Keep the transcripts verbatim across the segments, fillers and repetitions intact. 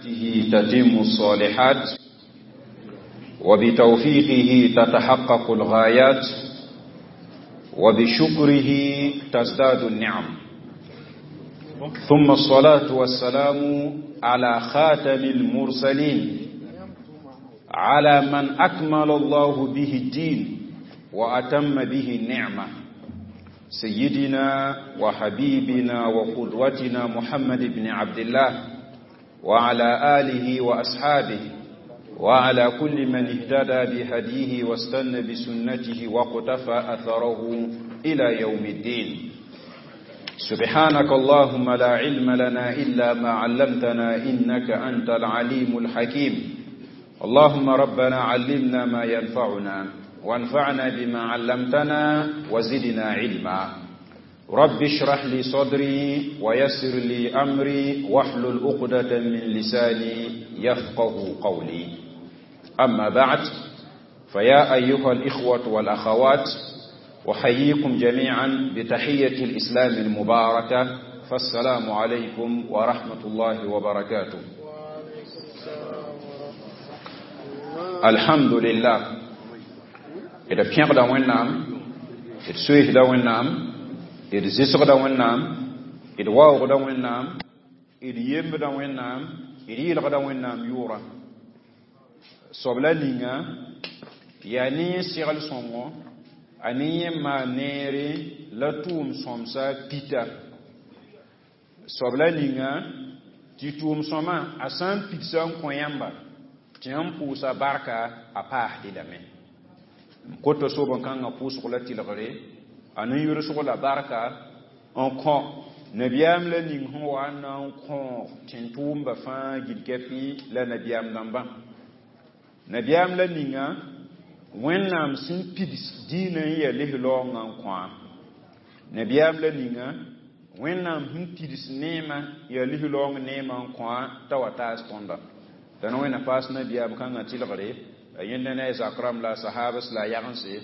بنعمته تتم الصالحات وبتوفيقه تتحقق الغايات وبشكره تزداد النعم ثم الصلاة والسلام على خاتم المرسلين على من أكمل الله به الدين وأتم به النعمة سيدنا وحبيبنا وقدوتنا محمد بن عبد الله وعلى آله وأصحابه وعلى كل من اهتدى بهديه واستنى بسنته وقتفى أثره إلى يوم الدين سبحانك اللهم لا علم لنا إلا ما علمتنا إنك أنت العليم الحكيم اللهم ربنا علمنا ما ينفعنا وانفعنا بما علمتنا وزدنا علما رب اشرح لي صدري ويسر لي أمري واحلل عقدة من لساني يفقه قولي أما بعد فيا أيها الإخوة والأخوات أحييكم جميعا بتحية الإسلام المباركة فالسلام عليكم ورحمة الله وبركاته الحمد لله d pẽgda Wẽnnaam d soeesda Wẽnnaam d zɩsgda Wẽnnaam d waoogda Wẽnnaam d yembda Wẽnnaam d yɩlgda Wẽnnaam yʋʋra soab la ninga yaa ne yẽ segl sõngo a ne yẽ maan neere la tʋʋm sõmsa pita soab la ninga tɩ tʋʋm sõma a sã n pidsa n kõ yãmba tɩ yãmb pʋʋsa barka a paasdɩ lame n kota soben-kãngã pʋʋsg la tɩlgre a nin-yʋlsg la barka n kõ nabiyaam la ning sẽn wa n na n kõog tẽn-tʋʋmba fãa gil-kɛpɩ la nabiyaam dãmbã nabiyaam la ninga Wẽnnaam sẽn pids dĩinã n yaa lis-laoongã n kõa nabiyaam la ninga Wẽnnaam sẽn pids neemã yaa lis-laoong neemã n kõa t'a wa taas tõnda t'a na Wẽnna paas nabiyaam kãngã tɩlgre la yẽnda ne a zak rãmb la a sahabs la a yagense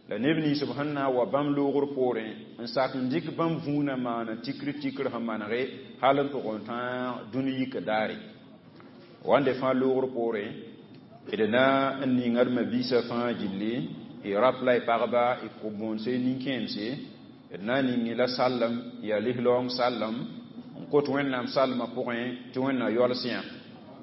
la neb nins b sẽn na n wa bãmb loogr poorẽ n sak n dɩk bãmb vũunã maana tikr tikr sẽn manege hal n tʋg n tãag dũni yik daare wãnde fãa loogr poorẽ d na n ninga d mabiisã fãa gilli y rap la y pagba y kʋ-bõonse nin-kẽemse d na n ning la sallem yaa lis-laoong sallem n kot Wẽnnaam salmã pʋgẽ tɩ Wẽnna yaols yã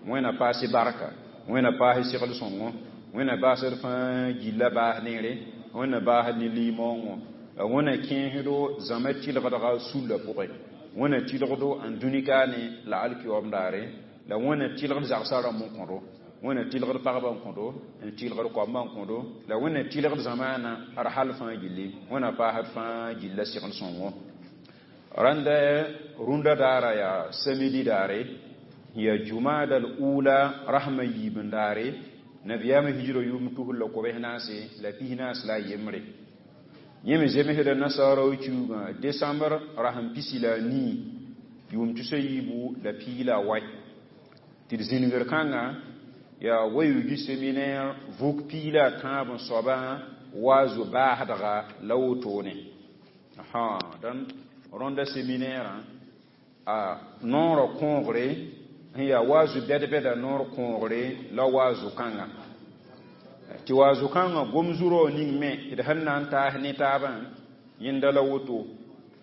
Wẽnna paas barka Wẽnna paas segl sõngo Wẽnna basd fãa gilla baas neere Wẽnna baasd ne limaoongõ la Wẽnna kẽesdo zãma tɩlgdga sullã pʋgẽ Wẽnna tɩlgdo n dũni kaane la alkiyoom daare la Wẽnna tɩlgd zagsã rãmb n kõdo Wẽnna tɩlgd pagba n kõdo n tɩlgd koamba n kõdo la Wẽnna tɩlgd zamaana d hal fãa gilli Wẽnna paasd fãa gilla segl sõngo rãnda rũndã daara yaa samedi daare yaa jumada al ula rasma yiib n daare nabiyaamã hijra yʋʋm tusr la kobs naase la pis naas la a yembre yẽ me zemsda nasaara kiuugã decembre rasem pisi la a nii yʋʋm tusa yiibu la pii la a wai tɩ d zĩnigr kãnga yaa wa-yugi séminaire vʋk pii la a tãab n soabã waazu baasdga la wotone dãn rõnda séminaire a noorã kõogre sẽn yaa waazu bɛd-bɛda noor kõogre la waazu kãnga tɩ waazu kãngã gom zurao ning me d sẽn na n taas ne taabã yẽnda la woto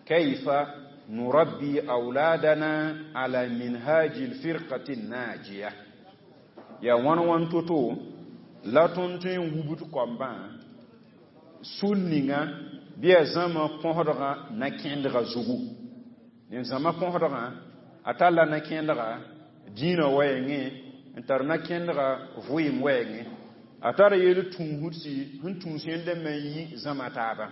kayfa nurabbi awladana ala minhaji lfirqati najiya yaa wãn wãn to-to la tõnd tõe n wubd koambã sul ninga bɩ yaa zãma põsdgã na-kẽndgã zugu ned zãma põsdgã a talla na-kẽndga dĩinã wɛɛngẽ n tar na-kẽndga vɩɩm wɛɛngẽ a tara yel tũusdsi sẽn tũus yẽnda me n yi zãma taaba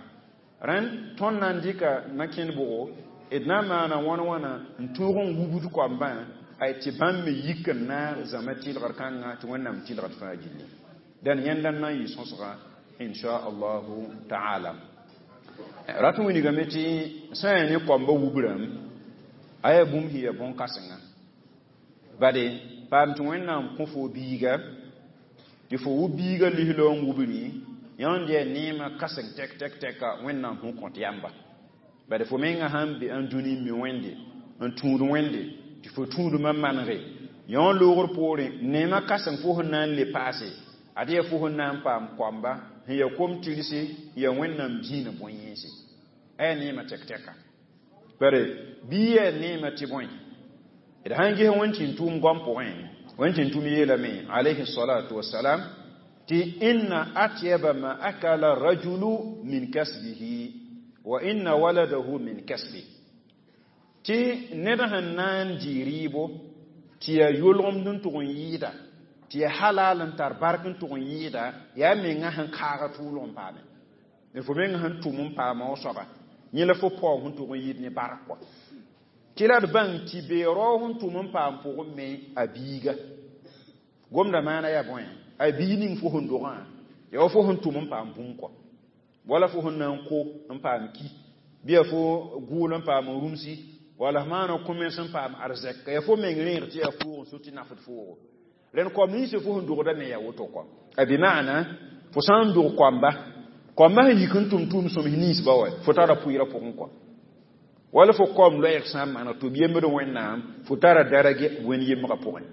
rẽnd tõnd na n dɩka na-kẽnd bʋgo d na n maana wãn wãna n tõog n wubd koambã ay tɩ bãmb me yik n naag zãma tɩlgr kãngã tɩ Wẽnnaam tɩlgd fãa gilli dẽn yẽnda n na n yɩ sõsga insha allahu taala rat n wilgame tɩ sã n yaa ne koambã wubrãmb a yaa bũmb sẽn yaa bõn-kãsenga bade paam tɩ Wẽnnaam kõ fo biiga tɩ fo wub biiga lis-laoong wubri yãnd yaa neemã kãseng tɛk tɛk tɛka Wẽnnaam sẽn kõt yãmba bade fo menga sãn be n dũni n mi Wẽnde n tũud Wẽnde tɩ fo tũudmã manege Yõ loogr poorẽ neemã kãsem fo sẽn na n le paase ad yaa fo sẽn na n paam koamba sẽn yaa kom-tɩrse yaa Wẽnnaam dĩinã bõe-yẽnse a yaa neemã tɛk-tɛka bare bɩ yaa neemã tɩ bõe d sãn ges wẽn tɩ n tʋʋm goam pʋgẽ wẽn tɩ n tʋm yeelame alayhi salatu wasalam tɩ inna atyaba ma akala rajulu min kasbihi wa inna waladahu min kasbi tɩ ned sẽn na n dɩ rɩɩbo tɩ yaa yolgemd n tʋg n yɩɩda tɩ yaa halal n tar bark n tʋg n yɩɩda yaa menga sẽn kaaga tʋʋlg n paame fo menga sẽn tʋm n paama o soaba yẽ la fo paoog sẽn tʋg n yɩɩd ne bark kɔa tɩ la d bãng tɩ beerao sẽn tʋm n paam pʋgẽ me a biiga gomda maana yaa bõe a biig ning fo sẽn dogã yaa wa fo sẽn tʋm n paam bũmb kɔa wala fo sẽn na n ko n paam ki bɩ yaa fo gʋʋl n paam rũmsi wala f maana kõ-mens n paam arzɛk yaa fo meng rẽeg tɩ yaa foog n so tɩ nafd foogo rẽnd koam ninsã fo sẽn dogda me yaa woto kɔa a bɩ maana fo sã n dog koamba koamba sẽn yik n tʋm tʋʋm sõms ninsba wa fo tara pʋɩɩrã pʋgẽ kɔa wala fo koam loɛɛg sã n maana tɩ b yembd Wẽnnaam fo tara darage wẽnd yembrã pʋgẽ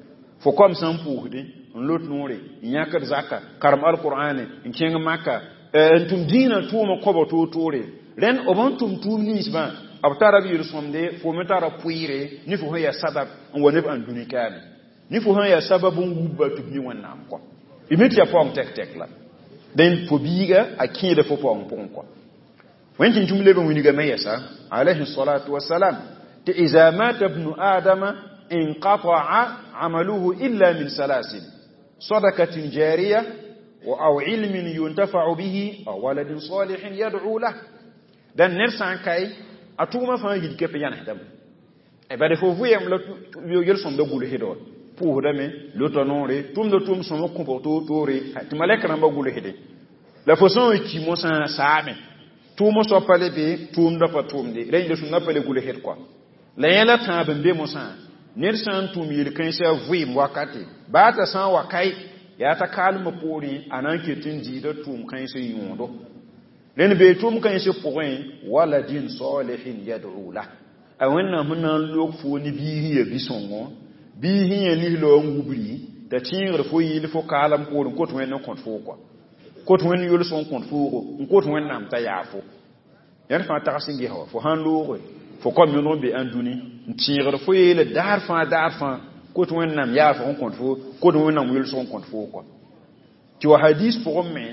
fo koam sã n pʋʋsdẽ n lot noore n yãkd zaka karem alqur'ane n kẽng maka n tʋm dĩinã tʋʋmã kõba toor-toore rẽnd b n tʋm tʋʋm ninsbã b tara b yel-sõmde fo me tara pʋɩɩre ne fo sẽn yaa sabab n wa neb ãndũni kaame ne fo sẽn yaa sabab n wubba tɩ b mi Wẽnnaam kɔa y mi tɩ yaa paoong tɛk-tɛk la dẽn fo biiga a kẽeda fo paoong pʋgẽ kɔa wẽn tɩ tũm leb n wilgame yɛsa alayhi salatu wasalam tɩ iza mata bnu adama inqata'a amaluhu illa min salasin sadakatin jariya wa aw ilmin yuntafa'u bihi aw waladin salihin yad'u lah dan ned sã n kae a tʋʋmã fãa yil kep yãnesdame bad fo vʋyem la yel-sõmda gʋlsd wa pʋʋsdame lota noore tʋmda tʋʋm sõma kõbg toor-toore tɩ malɛk rãmbã gʋlsde la fo sã n ki mosã saame tʋʋmã soab pa le be tʋʋmdã pa tʋʋmde rẽ yel-sõmdã pa le gʋlsd kɔa la yẽla tãab n be mosã ned sã n tʋm yel-kãensã vɩɩm wakate baa t'a sã n wa kae yaa t'a kaalmã poorẽ a na n ket n diida tʋʋm kãensã yõodo rẽnd bee tʋʋm kãensã pʋgẽ waladin salihin yad'u lah a Wẽnnaam sẽn na n log fo ne biig sẽn yaa bi-sõngo biig sẽn yaa lislo n wubri t'a tẽegr fo yɩl fo kaalem poorẽ kot Wẽnd n kõt foo kɔa kot Wẽnd yol-sõng kõt foogo n kot Wẽnnaam t'a yaa fo yãnd fãa tags n ges wa fo sãn looge fo kom yõdg n be ãndũni n tẽegr fo yeele daar fãa daar fãa kot Wẽnnaam yaa fo n kõt fo kot Wẽnnaam yol-sõng kõt foo kɔa tɩ wa hadis pʋgẽ me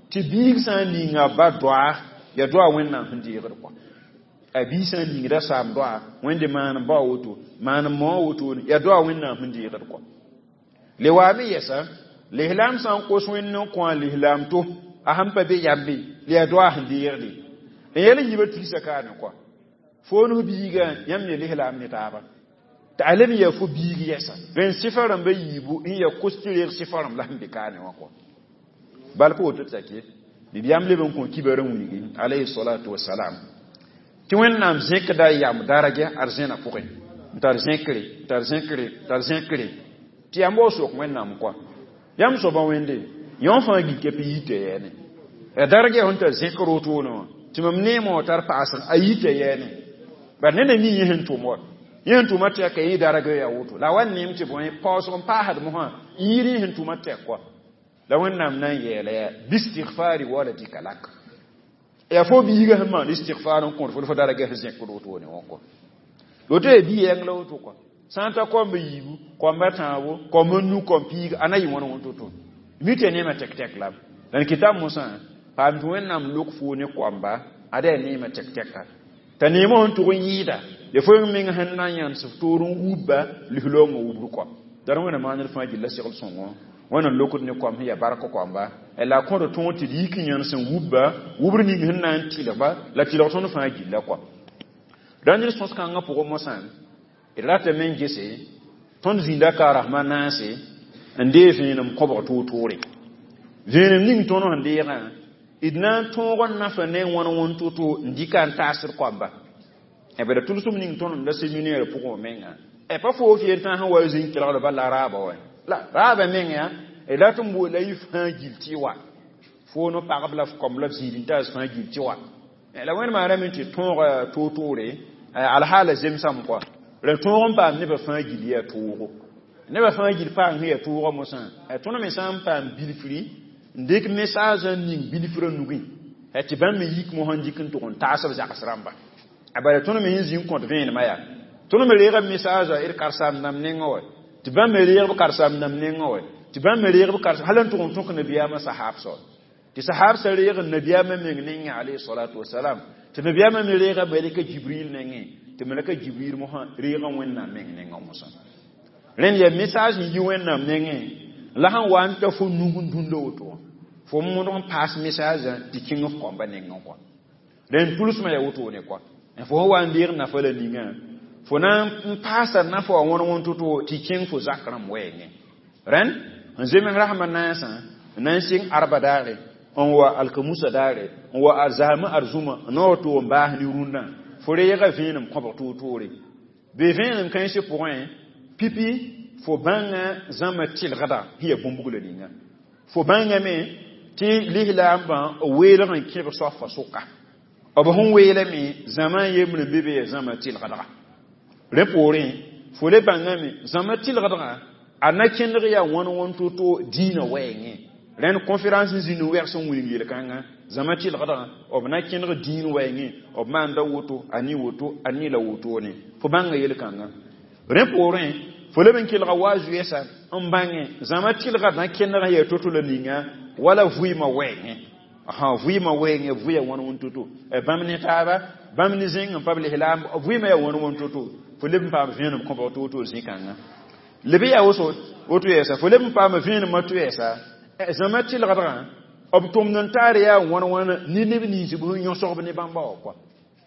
tɩ biig sã n ninga ba doa yaa doa Wẽnnaam sẽn deegd kɔa a biig sã n ningda saam doa Wẽnde maan n bao woto maan n mao woto yaa doa Wẽnnaam sẽn deegd kɔa le waame yɛsa lislaam sã n kos Wẽnd n kõ a lislaam to a sẽn pa be yambe la yaa doa sẽn deegde n yɛl n yiba tigsa kaane kɔa fo nus biiga yãmb ye lislaam ne taaba tɩ a leb n yaa fo biig yɛsa rẽnd sɩfa rãmba yiibu n yaa kos tɩ reeg sɩfa rãmb la sẽn be kaane wã kɔa bal pa woto tɩ ke bɩ yãmb leb n kõ kibar n wilgi alayhi salatu wasalam tɩ Wẽnnaam zẽkda yam dargɛ arzẽna pʋgẽ n tar zẽkre n tar zẽkre tar zẽkre tɩ yãmb wa sok Wẽnnaam kɔa yãmb soabã wẽnde yõ fãa gil kɛp yita yɛɛne ya dargɛ sẽn tar zẽkr wotone wã tɩ mam neemã wã tar paasg a yita yɛɛne bari neda mi yẽ sẽn tʋm wa yẽ sẽn tʋma tɛka yẽ dargɛ yaa woto la a wa neem tɩ bõe paoosg n paasd mosã n yɩɩd yẽ sẽn tʋma tɛk kɔa la Wẽnnaam na n yeela yaa bistighfari waladika lak yaa fo biiga sẽn maan istigfar n kõt fo fo dargɛ sẽn zẽkd wotone wã kɔa woto yaa bi yɛng la woto kɔa sã n ta koamba yiibu koamba tãabo koamba nu kom piiga a na yɩ wãn wãn to-to mi tɩ neemã tɛk-tɛk la la n kɩta mosã paam tɩ Wẽnnaam lok foo ne koamba ada yaa neemã tɛk-tɛka t'a neemã sẽn tʋg n yɩɩda ya fo meng sẽn na n yãns f toor n wubba lislaoongã wubr kɔa dar Wẽnnaam maaned fãa gilla segl sõngo Wẽnnaam lokd ne koam sẽn yaa bark koamba la a kõd tõog tɩ d yik n yãns n wubba wubr ning sẽn na n tɩlgba la tɩlg tõnd fãa gilla kɔa rãnd d sõs-kãngã pʋgẽ mosã d ratame n gese tõnd zĩnda ka rasmã naase n dee vẽenem kõbg toor-toore vẽenem ning tõnd sẽn deegã d na n tõog n nafa ne wãn wãn to-to n dɩka n taasd koamba bala tʋlsem ning tõnd n da seminaire pʋgẽ menga pa foo f yen tã sẽn wa zĩn kelgd bala raaba wa la raaba meng yaa d rat n boola yɩ fãa gil tɩ wa fo no pagb la f kom la f zĩid n taas fãa gil tɩ wa la Wẽnd maaname tɩ tõog toor-toore alhaala zemsame kɔa la tõog n paam nebã fãa gil yaa toogo Nebã fãa gil paam sẽn yaa tʋʋgã mosã tõnd me sã n paam bilfri n dɩk message n ning bilfrã nugẽ tɩ bãmb me yik mosã n dɩk n tʋg n taas b zags rãmba. A bala tõnd me sẽn zĩ n kõt vẽenemã yaa tõnd me reega message d karen-saam dãmb nengã wa tɩ bãmb me reeg b karen-saam dãmb nengã wa tɩ bãmb me reeg b karen hal n tʋg n tõk nabiyaamã sahaab soab tɩ sahaab sã reeg nabiyaamã meng nengẽ alayhi salatu wasalam tɩ nabiyaamã me reega malika Jibril nengẽ tɩ malika Jibril mosã reega Wẽnnaam meng nengã mosã. Rẽnd yaa message n yi Wẽnnaam nengẽ la sẽn wa n ta fo nug n dũnda woto wã fo modg n paas message tɩ kẽng f kambã nengẽ kɔa. Rẽnd tʋlsmã yaa wotone kɔa fo sẽn wa n deeg nafa la ninga fo na n paasa nafa wã wõn wõn to-to tɩ kẽng fo zak rãmb wɛɛngẽ. Rẽnd n zems rasmã naasã n na n sɩng arba daare n wa alkamusa daare n wa arzamã arzũma n na wa tʋg n baas ne rũndã fo reega vẽenem kõbg toor-toore be vẽenem kãensã pʋgẽ pipi fo bãnga zãma tɩlgda sẽn yaa bũmb-buglã ninga fo bãngame tɩ lislaambã weelg n kẽb soafa sʋka b sẽn weelame zãma n yembr n be be yaa zãma tɩlgdga. Rẽ poorẽ fo le bãngame zãma tɩlgdga a na kẽndg yaa wãn wãn to-to dĩinã wɛɛngẽ. Rẽnd conférence n zĩnd n wɛgs n wilg yel-kãngã zãma tɩlgdgã b na kẽndg dĩin wɛɛngẽ b maanda woto a ne woto a ne la wotone fo bãnga yel-kãngã. Rẽ poorẽ fo leb n kelga wa zoeesa n bãngẽ zãma tɩlgd na kẽndg yaa to-to la ninga wala vɩɩmã wɛɛngẽ ã vɩɩmã wɛɛngẽ vʋya wãn wãn to-to bãmb ne taaba bãmb ne zẽng n pa b lislaam vɩɩmã yaa wãn wãn to-to fo leb n paam vẽenem kõbg toor-toor zĩ-kãngã leb yaa woso woto yɛɛsa fo leb n paam vẽenemã to yɛɛsa zãma tɩlgdgã b tʋmd n taar yaa wãn wãn ne neb nins b sẽn yõsgb ne bãmba wã kɔa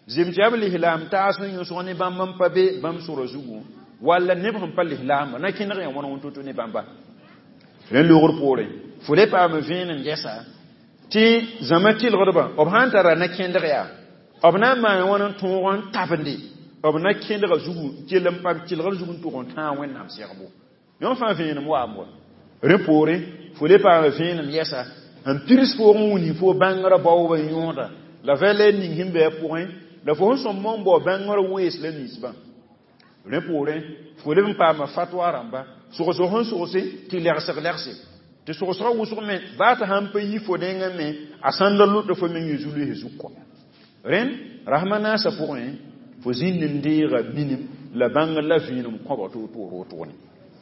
zem tɩ yaa b lislaam taas sẽn yõsg ne bãmb n pa be bãmb sora zugu walla neb sẽn pa lislaamba na kẽndg yaa wãn wãn to-to ne bãmba. Rẽnd logr poorẽ fo le paam vẽenem gɛsa tɩ zãma tɩlgdbã b sã n tara na kẽndg yaa b na n maan wãn n tõog n tabende b na kẽndga zugu kell n paam tɩlgr zug n tʋg n tãag Wẽnnaam segbo yõ fãa vẽenem waam wa. Rẽ poorẽ fo le paam vẽenem yɛsa n pirs foog n wilg fo bãngrã baoobã yõoda la valɛr ning sẽn be a pʋgẽ la fo sẽn sõm n bao bãngrã wees la ninsbã. Rẽ poorẽ fo leb n paama fatwa rãmba sogsg sẽn sogse tɩ legsg legse tɩ sogsgã wʋsg me baa tɩ sãn pa yi fo nengã me a sãn da lʋta fo meng zu-loees zug kɔ. Rẽnd rasmã naasã pʋgẽ fo zĩnd n deega minim la bãngr la vẽenem kõbg toor-toor wotone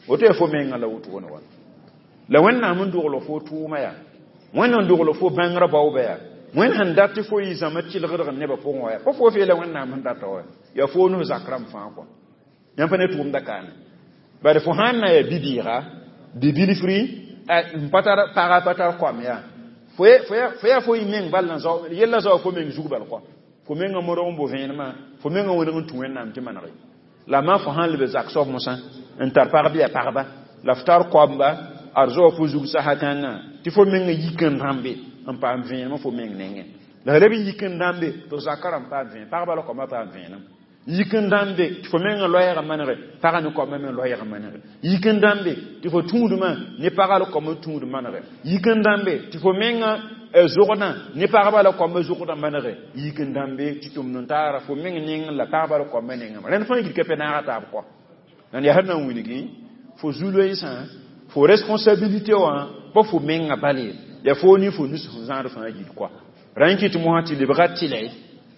woto yaa fo mengã la wotone wa la Wẽnnaam n dogl fo tʋʋma yaa Wẽnd n dogl fo bãngrã baooba yaa Wẽnd sẽn dat tɩ fo yɩ zãma tɩlgdg nebã pʋgẽ wa yaa pa fo feela Wẽnnaam sẽn data wa yaa fo nus zak rãmb fãa kɔ yãmb pa ne tʋʋmda kaane bari fo sãn na yaa bi-bɩɩga bi-bilfri n pa tar paga pa tar koam yaa fo yaa fo yɩ meng bal n zao yella zao fo meng zug bal kɔ fo mengã modg n bo vẽenemã fo mengã wẽneg n tũ Wẽnnaam tɩ manege la ma fo sãn leb zak soab mosã n tar pag bɩ yaa pagba la f tar koamba ad zao fo zug sasa kãngã tɩ fo mengã yik n rãmbe n paam vẽenemã fo meng nengẽ la leb n yik n dãmbe tɩ zakã rãmb paam vẽenem pagba la koamã paam vẽenem yik n dãmbe tɩ fo mengã loɛɛgã manege pagã ne koamã me loɛɛgã manege yik n dãmbe tɩ fo tũudmã ne pagã la koamã tũud manege yik n dãmbe tɩ fo mengã zogdã ne pagba la koamã zogdã manege yik n dãmbe tɩ tʋmd n taara fo meng neng la pagba la koamã nengã rẽnd fãa gil ka pe naaga taab kɔ nan yaa sẽn na n wilgi fo zu-loeensã fo responsabilité wã pa fo mengã bale yaa fo ne fo nus sẽn zãad fãa gil kɔa rã n kɩt mosã tɩ lebga tɩlɛ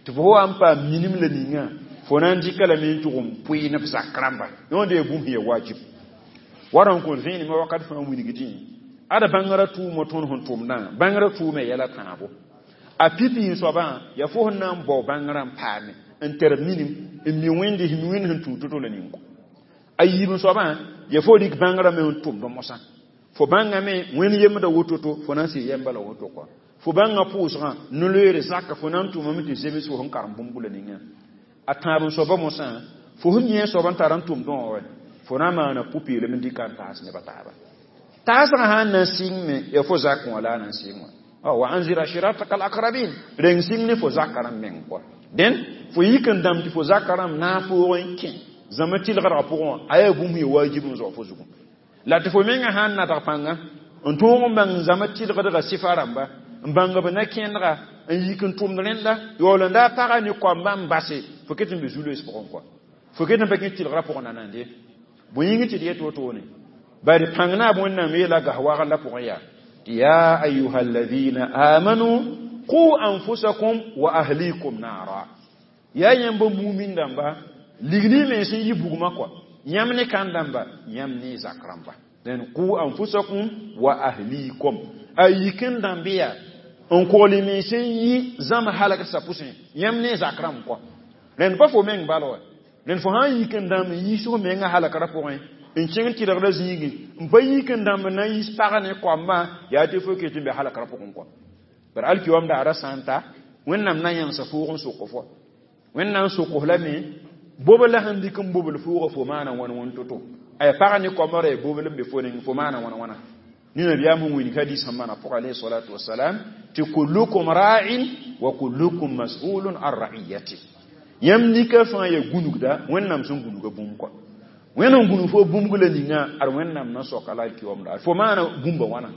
tɩ fo wa n paam minim la ninga fo na n dɩka lame n tʋg n pʋɩ ne b zak rãmba yõod yaa bũmb sẽn yaa wajib wara n kõn vẽenemã wakat fãa wilgdẽ ada bãngrã tʋʋmã tõnd sẽn tʋmdã bãngrã tʋʋma yɛla tãabo a pipi n soabã yaa fo sẽn na n bao bãngrã n paame n tar minim n mi wẽnde mi wẽnd sẽn tũud to-to la ning a yiib n soabã yaa fo rɩk bãngrã me n tʋmd mosã fo bãngame wẽnd yemda woto-to fo na n sɩ yɛmba la woto kɔa fo bãnga pʋʋsgã no-loeere zaka fo na n tʋmame tɩ zems fo sẽn karem bũmb la ninga a tãab n soaba mosã fo sẽn yẽ soab n tar n tʋmdẽ wã wa fo na n maana pʋ-peelem n dɩka n taas nebã taaba taasgã sãn na n sɩng me yaa fo zak wã la a na n sɩng wã wa anzir ashirataka al-aqrabin reng sɩng ne fo zaka rãmb meng kɔa dẽn fo yik n dãmb tɩ fo zaka rãmb naag poogẽ n kẽ zãma tɩlgdgã pʋgẽ wã a yaa bũmb sẽn wajib n zao fo zugu la tɩ fo mengã sãn nadg pãnga n tõog n bãng zãma tɩlgdgã sɩfa rãmba n bãng b na kẽndga n yik n tʋmd rẽnda yaool n daa paga ne koamba n base fo ket n be zu-loees pʋgẽ kɔa fo ket n pa kẽ tɩlgrã pʋgẽ nanande bõe yĩng tɩ d yet wotone Bari pãng naab Wẽnnaam yeela gas wagr la pʋgẽ yaa tɩ ya ayuha alladhina amanu qu anfusakum wa ahlikum naara. Yaa yãmb mumin dãmba, ligli mens n yi bugmã kɔa, yãmb ne kãn dãmba, yãmb ne zak rãmba. Dẽn qu anfusakum wa ahlikum, a yik n dãmb yaa n kogl mens n yi zãm halgsã pʋsẽ, yãmb ne zak rãmb kɔa. Rẽnd pa fo meng bal wa, rẽnd fo sã n yik n dãmb n yiis f menga halgrã pʋgẽ n kẽng tɩlgdã zĩigẽ, n pa yik n dãmb n na n yiis pag ne koambã, yaa tɩ fo ket n be halgrã pʋgẽ kɔa. Bara alkiyom daara sã n ta, Wẽnnaam na yãmsa foog n sok fo. Wẽnnaam sok f lame bobl la sẽn dɩk n bobl foogã, fo maana wãn wãn to-to. Aya pag ne koambã ra ya bobl n be fo neng, fo maana wãn wãna. Ni nabiyaam sẽn wilg hadis sẽn maana pʋgã alayhi salatu wasalam tɩ kullukum ra'in wa kullukum mas'ulun an ra'iyati. Yãmb nika fãa ya gũnugda Wẽnnaam sẽn gũnuga bũmb kɔa. Wẽnd n gũnug fo bũmb la ninga, ad Wẽnnaam na soka la alkiyom daar. Fo maana bũmba wãna.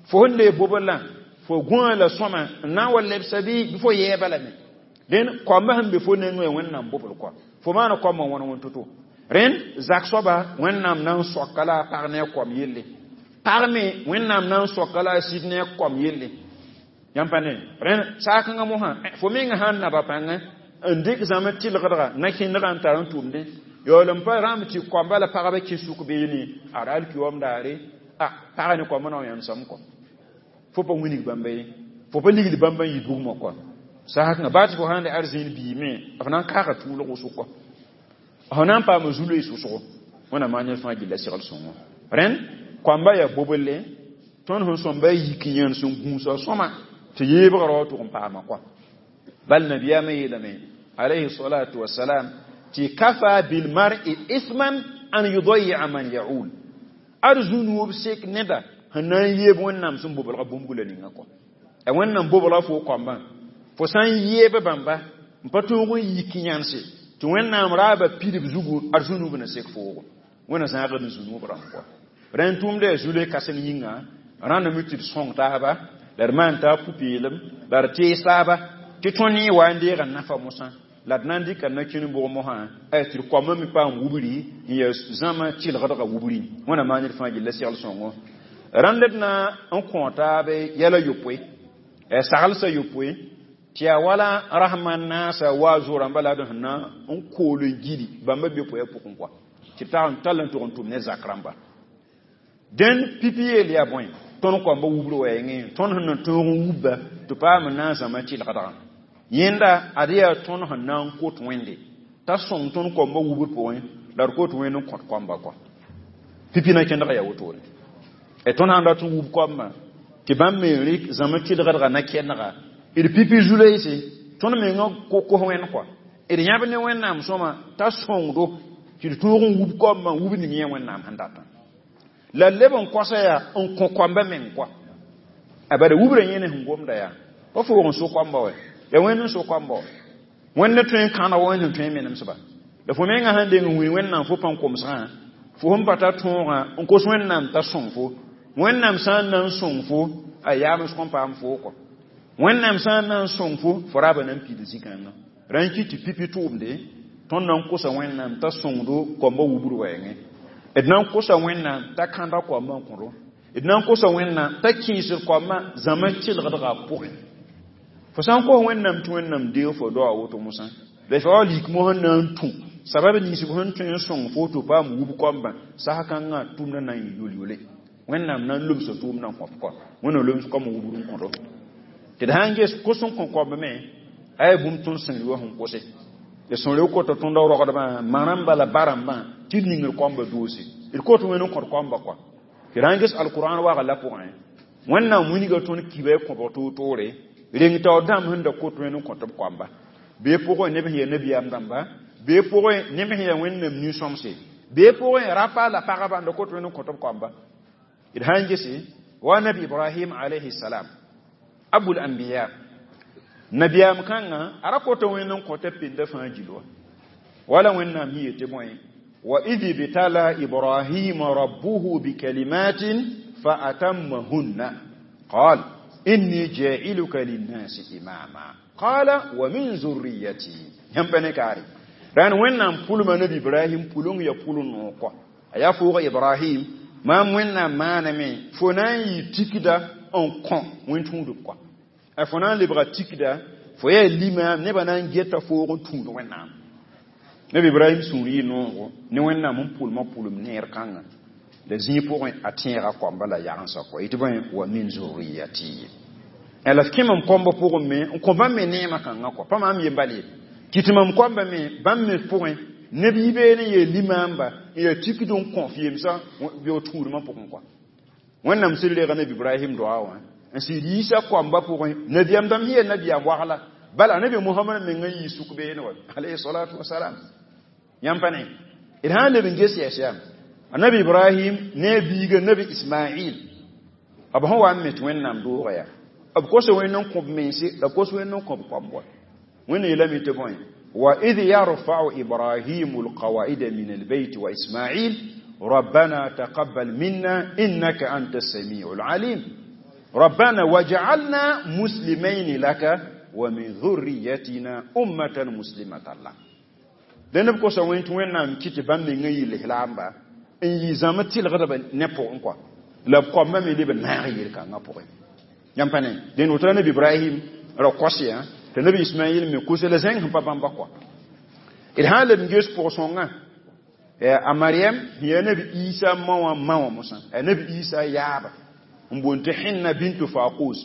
Fo sẽn dee bobl la, fo gũa la sõma n na n wa lebsa bɩ fo yɛɛba lame. Dẽn koambã sẽn be fo nengẽ Wẽnnaam bobl kɔa. Fo maana koambã wãn wãn to-to. Rẽnd zak soaba Wẽnnaam na n soaka la a pag ne a koam yelle. Pag me Wẽnnaam na n soaka la a sɩd ne a koam yelle. Yãmb pa ne. Rẽnd saakãngã mosã, fo menga sã n naba pãngã n dɩk zãm tɩlgdga na kẽndgã n tar n tʋmdẽ. Yaool n pa rãmb tɩ koamba la pagba kẽ sʋk beene, ad alkiyoom daare, a pag ne koambã na n yãmsame kɔ. Fo pa wilg bãmba ye, fo pa ligd bãmba n yɩ bugmã kɔa. Saakãngã baa tɩ fo sãn de arzẽen biime, f na n kaaga tʋʋlg wʋsg kɔa. F na n paama zu-loees wʋsgo. Wẽnnaam maan yẽl fãa gilla segl sõngo. Rẽnd koamba yaa boble, tõnd sẽn sõmba yik yãnd sẽn gũusa sõma tɩ yeebgrã wa tʋg n paama kɔa. Bal nabiyaamã yeelame alayhi salatu wasalam tɩ kafa bilmar'i ithman an yudayi'a man ya'ul. Ad zu-nuub sek neda sẽn na n yeeb Wẽnnaam sẽn boblga bũmb la ninga kɔa. A Wẽnnaam boblga fo koambã, fo sã n yeeb bãmba n pa tõog n yik yãnse tɩ Wẽnnaam raaba pidb zugu, ad zu-nuub na sek foogo. Wẽnna zãagd n zu-nuub rãmb kɔa. Rẽnd tʋʋmda yaa zu-loe kãseng yĩnga, rãndame tɩ d sõng taaba, la d maan taab pʋ-peelem, la d tees taaba, tɩ tõnd yẽ wa n deega nafa mosã, la d na n dɩka na-kẽn bʋg mosã, tɩ d koambã me paam wubri n yaa zãma tɩlgdgã wubri. Wẽnnaam maan ned fãa gilla segl sõngo. Rãnd d na n kõ taab yɛla yopoe, saglsã yopoe, tɩ yaa wala rasmã naasa wa zo-rãmba la d sẽn na n kool n gili bãmba be poya pʋgẽ kɔa, tɩ b tall n tʋg n tʋm ne zak rãmba. Dẽn pipi yeel yaa bõe, tõnd koambã wubr wɛɛngẽ, tõnd sẽn na tõog n wubba tɩ paam n na n zãma tɩlgdgã. Yẽnda ad yaa tõnd sẽn na n kot Wẽnde t'a sõng tõnd koambã wubr pʋgẽ, la d kot Wẽnd n kõt koambã kɔa. Pipi na kẽndga yaa wotone. Tõnd sãn dat n wub koambã tɩ bãmb me rɩk zãma tɩlgdgã na kẽndga, d pipi zu-loeese, tõnd menga kos Wẽnd kɔa. D yãb ne Wẽnnaam sõma t'a sõngdo tɩ d tõog n wub koambã wub ning yẽ Wẽnnaam sẽn datã. La leb n kosa yaa n kõ koambã meng kɔa. A bala wubrã yẽ ne sẽn gomda yaa pa foog n so koambã wɛ, yaa Wẽnd n so koambã wa. Wẽnd ne tõe n kãna wa Wẽnd sẽn tõe n menemsba. La fo menga sãn deng n wĩ Wẽnnaam fo pãn komsgã, fo sẽn pa tar tõogã n kos Wẽnnaam t'a sõng fo. Wẽnnaam sã n na n sõng fo, a yaams kõn paam foo kɔ. Wẽnnaam sã n na n sõng fo, fo raaba na n piid zĩ-kãngã. Rã n kɩt tɩ pipi tʋʋmde, tõnd na n kosa Wẽnnaam t'a sõngdo koambã wubr wɛɛngẽ. D na n kosa Wẽnnaam t'a kãda koambã n kõdo. D na n kosa Wẽnnaam t'a kẽesd koambã zãma tɩlgdgã pʋgẽ. Fo sã n kos Wẽnnaam tɩ Wẽnnaam deeg fo doa woto mosã, la fo wa lik mosã na n tũ sabab nins b sẽn tõe n sõng fo tɩ paam wub koambã, sas-kãngã tʋʋmdã na n yɩ yol-yole. Wẽnnaam na n lobsa tʋʋmdã n kõp kɔa. Wẽnnaam loms koambã wubr n kõdo. Tɩ d sã n ges kos n kõ koambã me, aya bũmb tõnd sẽn wã sẽn kose. D sẽn reoog kota tõndã rogdbã, ma-rãmbã la ba-rãmbã tɩ d ningr koambã doose. D kot Wẽnd n kõt koambã kɔa. Tɩ d sã n ges alkurãan waga la pʋgẽ, Wẽnnaam wilga tõnd kiba y kõbg toor-toore, reng taoor dãmb sẽn da kot Wẽnd n kõt b koamba. Bee pʋgẽ neb sẽn yaa nabiyaam dãmba, bee pʋgẽ neb sẽn yaa Wẽnnaam nin-sõmse, bee pʋgẽ rapa la pagba n da kot Wẽnd n kõt b koamba. D sã n gese wa nabi Ibrahim alayhi salam, abul anbiya, nabiyaam kãngã a ra kota Wẽnd n kõta penda fãa gil wa. Wala Wẽnnaam yɩ yetɩ bõe, wa idh ibtala Ibrahima rabbuhu bikalimatin fa atammahunna qal inni ja'iluka linnasi imama qala wa min zurriyati. Yãmb pa ne kaare. Rãnd Wẽnnaam pʋlma nabi Ibrahim pʋleng ya pʋl no kɔa. A yaa fooga Ibrahim Maam Wẽnnaam maaname fo na n yɩ tikda n kõ wẽn-tũudb kɔa. A fo na n lebga tikda fo yaa limaam nebã na n geta foog n tũud Wẽnnaam. Nabi Ibrahim sũur yɩ noogo ne Wẽnnaam n pʋlmã pʋlem neer kãngã la zĩig pʋgẽ a tẽega koamba la yagensã kɔa yetɩ bõe wa min zurriyati la f kẽ mam koambã pʋgẽ me n kõ bãmb me neemã kãngã kɔa pa maam yembal ye kɩ tɩ mam koambã me bãmb me pʋgẽ neb yi beene n yeel limaamba n yaa tikd n kõ f yemsã bɩ tũudmã pʋgẽ kɔa. Wẽnnaam sɩd reega nabi Ibrahim doa wã n sɩd yiisa koambã pʋgẽ nabiyaam dãmb sẽn yaa nabiyaam wagla bala nabi Mohamad meng n yii suk beene wa alayhi salatu wasalam. Yãmb pa ne d sã n leb n ges yɛs yaa nabi Ibrahim ne a biiga nabi Ismail b sẽn wa n me tɩ Wẽnnaam doogã yaa b kosa wẽnd n kõ b mense la b kos wẽnd n kõ b koamb wa. Wẽnna yeelame tɩ bõe وإذ يرفع إبراهيم القواعد من البيت وإسماعيل ربنا تقبل منا إنك أنت السميع العليم ربنا وجعلنا مسلمين لك ومن ذريتنا أمة مسلمة لك. لأن بكو سوين توين نام كيتي بام من غي الإسلام إن يزام تيل غدا نبو انكوا لا بكو ما ملي بنار يلكا نبو يامباني لأن وتر نبي إبراهيم رقصيا tɩ nabi Ismail me kos la zẽng sẽn pa bãmba kɔa. D sã n leb n ges pʋg-sõngã a Mariam sẽn yaa nabi Isa ma wã ma wã mosã a nabi Isa yaaba n boond tɩ Hẽnna bintu Faqus.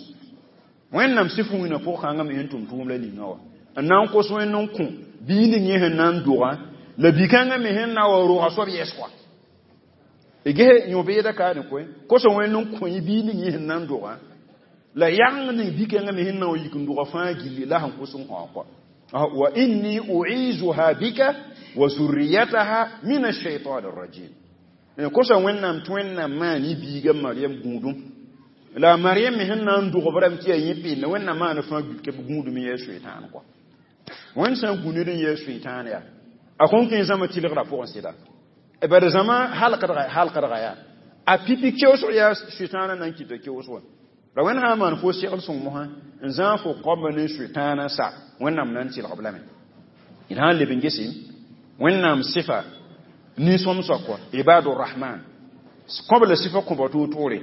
Wẽnnaam sɩf wĩnã pʋg-kãngã me sẽn tʋm tʋʋm la ninga wã n na n kos wẽnd n kõ bii ning yẽ sẽn na n dogã la bi-kãngã me sẽn na wa roga soab yɛs kɔa. D ges yõ-beedã ka ne koe kosa wẽnd n kõ bii ning yẽ sẽn na n dogã la yãng ning bi-kãngã me sẽn na wa yik n dogã fãa gilli la sẽn kos n kõ kɔa. Wa inni u'izuha bika wa zurriyataha min ash-shaytan ar-rajim. Kosa Wẽnnaam tɩ Wẽnnaam maan y biiga Mariam gũudum la Mariam me sẽn na n dog b rãmb tɩ yaa yẽ pɩɩnda Wẽnnaam maan fãa gbik b gũudum n yaa Sʋɩtãan kɔa. Wẽnd sã n gũ ned n yaa Sʋɩtãan yaa a kõn kẽ zãma tɩlgrã pʋgẽ sɩda bad zãma halkdga yaa a pipi keoosg yaa Sʋɩtãanã na n kɩta keoosg wã la Wẽnd sã n maan fo segl sõng mosã n zãag fo koamba ne Sʋɩtãanã sa Wẽnnaam na n tɩlg b lame. D sã n leb n gese Wẽnnaam sɩfa nin-sõmsã kɔa Ibadur Rahman kõb la sɩfa kõba toor-toore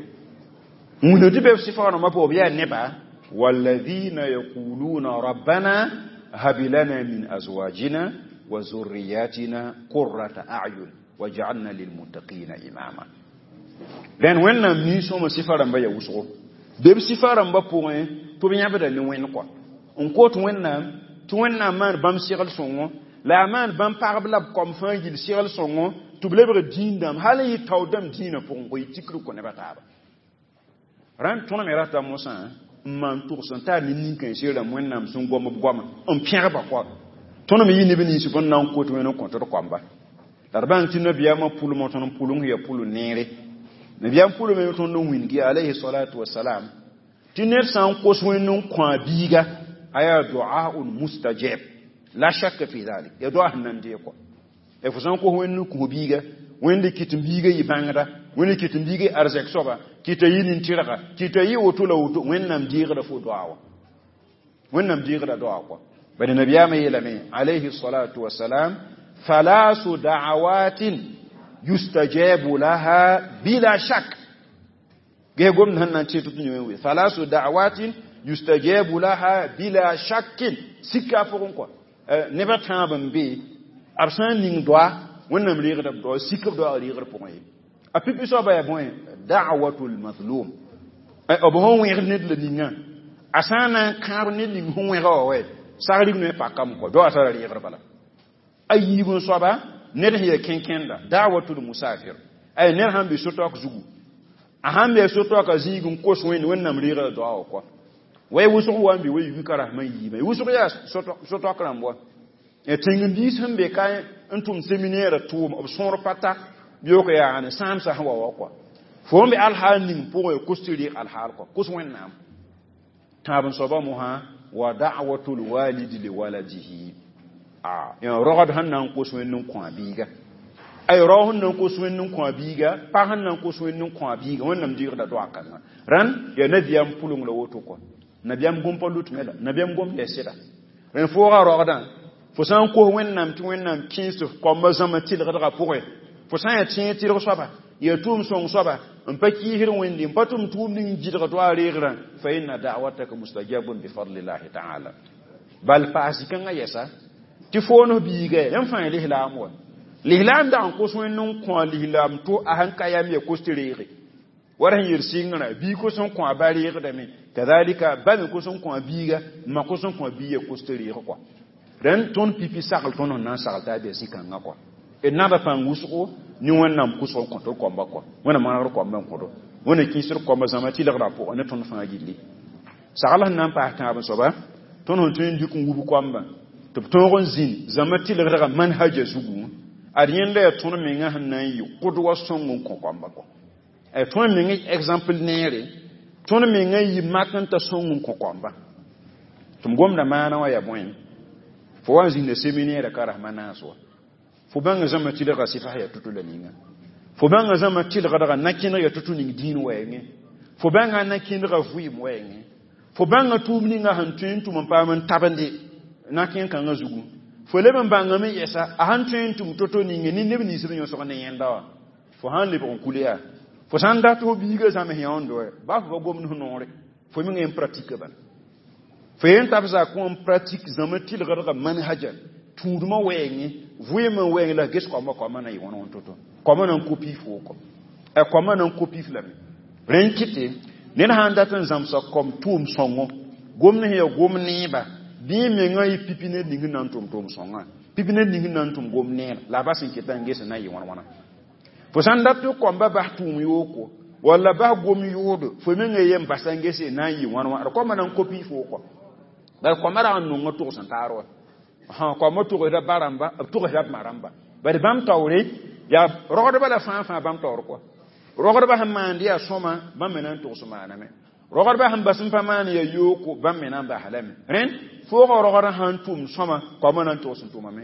wĩna tɩ bɩ b sɩfa rãmbã pʋgẽ b yaa neba walladhina yaquluna rabbana hab lana min azwajina wa zurriyatina qurrata a'yun waj'alna lilmuttaqina imama. Dẽn Wẽnnaam nin-sõma sɩfa rãmbã yaa wʋsgo bɩ b sɩfa rãmbã pʋgẽ tɩ b yãbda ne Wẽnd kɔa n kot Wẽnnaam tɩ Wẽnnaam maan bãmb segl sõngo la a maan bãmb pagb la b koam fãa gill segl sõngo tɩ b lebg dĩin-dãmb hal n yɩ tao dãmb dĩinã pʋgẽ kõ yɩ tikr kõ nebã taaba. Rãnd tõnd me rata mosã n maan togs n tar ne nin-kãense rãmb Wẽnnaam sẽn gom b goama n pẽgba kɔa tõnd me yɩ neb nins b n na n kot Wẽnd n kõt d koamba la d bãng tɩ nabiyaamã pʋlmã tõnd pʋleng yaa pʋl neere nabiyaam pʋlme tõnd n wĩngi alayhi salatu wasalam tɩ ned sã n kos Wẽnd n kõ a biiga a yaa duaun mustajab la shakka fi dhalik ya doa sẽn na n deeg kɔa. Fo sã n kos Wẽnd n kõ biiga Wẽnd kɩt n biiga yɩ bãngda Wẽnd kɩt n biiga yɩ arzɛk soaba kɩta yɩ nin-tɩrga kɩta yɩ woto la woto Wẽnnaam deegda fo doa wã Wẽnnaam deegda doa kɔa. Bad nabiyaamã yeelame alayhi salatu wasalam thalasu da'awatin yustajabu laha bila shak ge gomd sẽn na n tẽ tɩ tɩ yẽ thalasu da'awatin yustajabu laha bila shakkin sika pʋgẽ kɔa nebã tãab n be b sã n ning doa Wẽnnaam reegda b doa sik b doa reegd pʋgẽ ye a pipi soaba yaa bõe da'watul mazlum b sẽn wẽgd ned la ningã a sã n na n kãab ned ning sẽn wẽga wa wɛ sagr noe pakame kɔ doa tara reegd bala a yiib n soaba ned sẽn yaa kẽnkẽnda da'watul musafir ay ned sãn be so-taook zugu a sãn be so-taookã zĩig n kos Wẽnd Wẽnnaam reegda doa wã kɔa way wʋsg wa n be wa yuka rasmã yiibã wʋsg yaa so-taook rãmb wa tẽng-biis sẽn be ka n tʋm seminaire tʋʋm b sõor pa ta beoog yaa ne sãamsã sẽn wa wa kɔa fo n be alhaal ning pʋgẽ kos tɩ reeg alhaal kɔa kos Wẽnnaam tãab n soaba mosã wa da'watul walidi li waladihi a rogd sẽn na n kos Wẽnd n kõ a biiga ay rao sẽn na n kos Wẽnd n kõ a biiga pag sẽn na n kos Wẽnd n kõ a biiga Wẽnnaam deegda doa kãngã rãnd yaa nabiyaam pʋleng la woto kɔa nabiyaam gom pa lut me la nabiyaam gom yaa sɩda rẽnd fooga rogdã fo sã n kos Wẽnnaam tɩ Wẽnnaam kẽes tɩ f koambã zãma tɩlgdgã pʋgẽ Fo sã n yaa tẽeg tɩrg soaba, yaa tʋʋm sõng soaba, n pa kiisd Wẽnde, n pa tʋm tʋʋmd ning gɩdg tɩ a reegrã, fa inna da'wataka mustajabun bifadlillahi ta'ala. Bal paas kãngã yɛsa tɩ foon f biiga yãmb fãa ya lislaam wa. Lislaam dag n kos Wẽnd n kõ a lislaam to a sẽn ka yam ya kos tɩ reege. Wala sẽn yel sɩngrã, bii kos n kõ a ba reegdame, kadalika ba me kos n kõ a biiga, ma kos n kõ a biig ya kos tɩ reeg kɔa. Rẽnd tõnd pipi sagl tõnd sẽn na n sagl t'a bɩ zĩ-kãngã kɔa. D naba pãng wʋsgo ne Wẽnnaam kʋsg n kõt d koamba kɔa. Wẽnnaam manegd koamba n kõdo. Wẽnna kĩisd koamba zãma tɩlgdã pʋgẽ ne tõnd fãa gilli. Sagl sẽn na n paas tãab soaba, tõnd sẽn tõe n dɩk n wub koamba tɩ b tõog n zĩnd zãma tɩlgdgã manhaja zugu, ad yẽnda yaa tõnd menga sẽn na n yɩ kʋdwa sõng n kõ koamba kɔa. Tõnd menga exemple neere, tõnd menga yɩ mak n ta sõng n kõ koamba. Tɩ m gomda maana wã yaa bõe? Fo wa n zĩnda séminaire ka rasma naas wa. Fo bãnga zãma tɩlga sɩfas yaa to-to la ninga. Fo bãnga zãma tɩlgdga na-kẽneg yaa to-to ning dĩin wɛɛngẽ. Fo bãnga na-kẽndga vɩɩm wɛɛngẽ. Fo bãnga tʋʋm ninga sẽn tõe n tʋm n paam n tabende na-kẽn kãngã zugu. Fo leb n bãngame yɛsa a sẽn tõe n tʋm to-to ninge ne neb nins b yõsg ne yẽnda wã. Fo sã n lebg n kul yaa. Fo sã n dat fo biiga zãms yãondo wɛ, baa fo pa gomd f noore, fo mengã n pratique bala. Fo yen tab zakẽ n pratique zãma tɩlgdga manhaja tũudmã wɛɛngẽ, vɩɩmã wɛɛngẽ la ges koambã koambã na yɩ wãn wãn to-to. Koambã na n kopi fo kɔ. A koambã na n kopi f lame. Rẽnd kɩte, ned sã n dat n zãmsa kom tʋʋm sõngo, gomd sẽn yaa gom neeba, bɩ mengã yɩ pipi ned ning n na n tʋm tʋʋm sõngã, pipi ned ning n na n tʋm gom neer, la a bas n keta n ges n na n yɩ wãn wãna. Fo sã n dat tɩ koambã bas tʋʋm yooko, walla bas gom yoodo, fo mengã yem basa n ges n na n yɩ wãn wãna, d koambã na n kopi fo kɔ. Bala koambã rag n nonga tʋgs n taar wa. Koambã togsda ba rãmba, b togsda b ma rãmba. Bari bãmb taoore, yaa rogdbã la fãa fãa bãmb taoor kɔa. Rogdbã sẽn maand yaa sõma, bãmb me na n togs maaname. Rogdbã sẽn bas n pa maan yaa yooko, bãmb me na n bas lame. Rẽnd, foogã rogdã sã n tʋm sõma, koambã na n togs n tʋmame.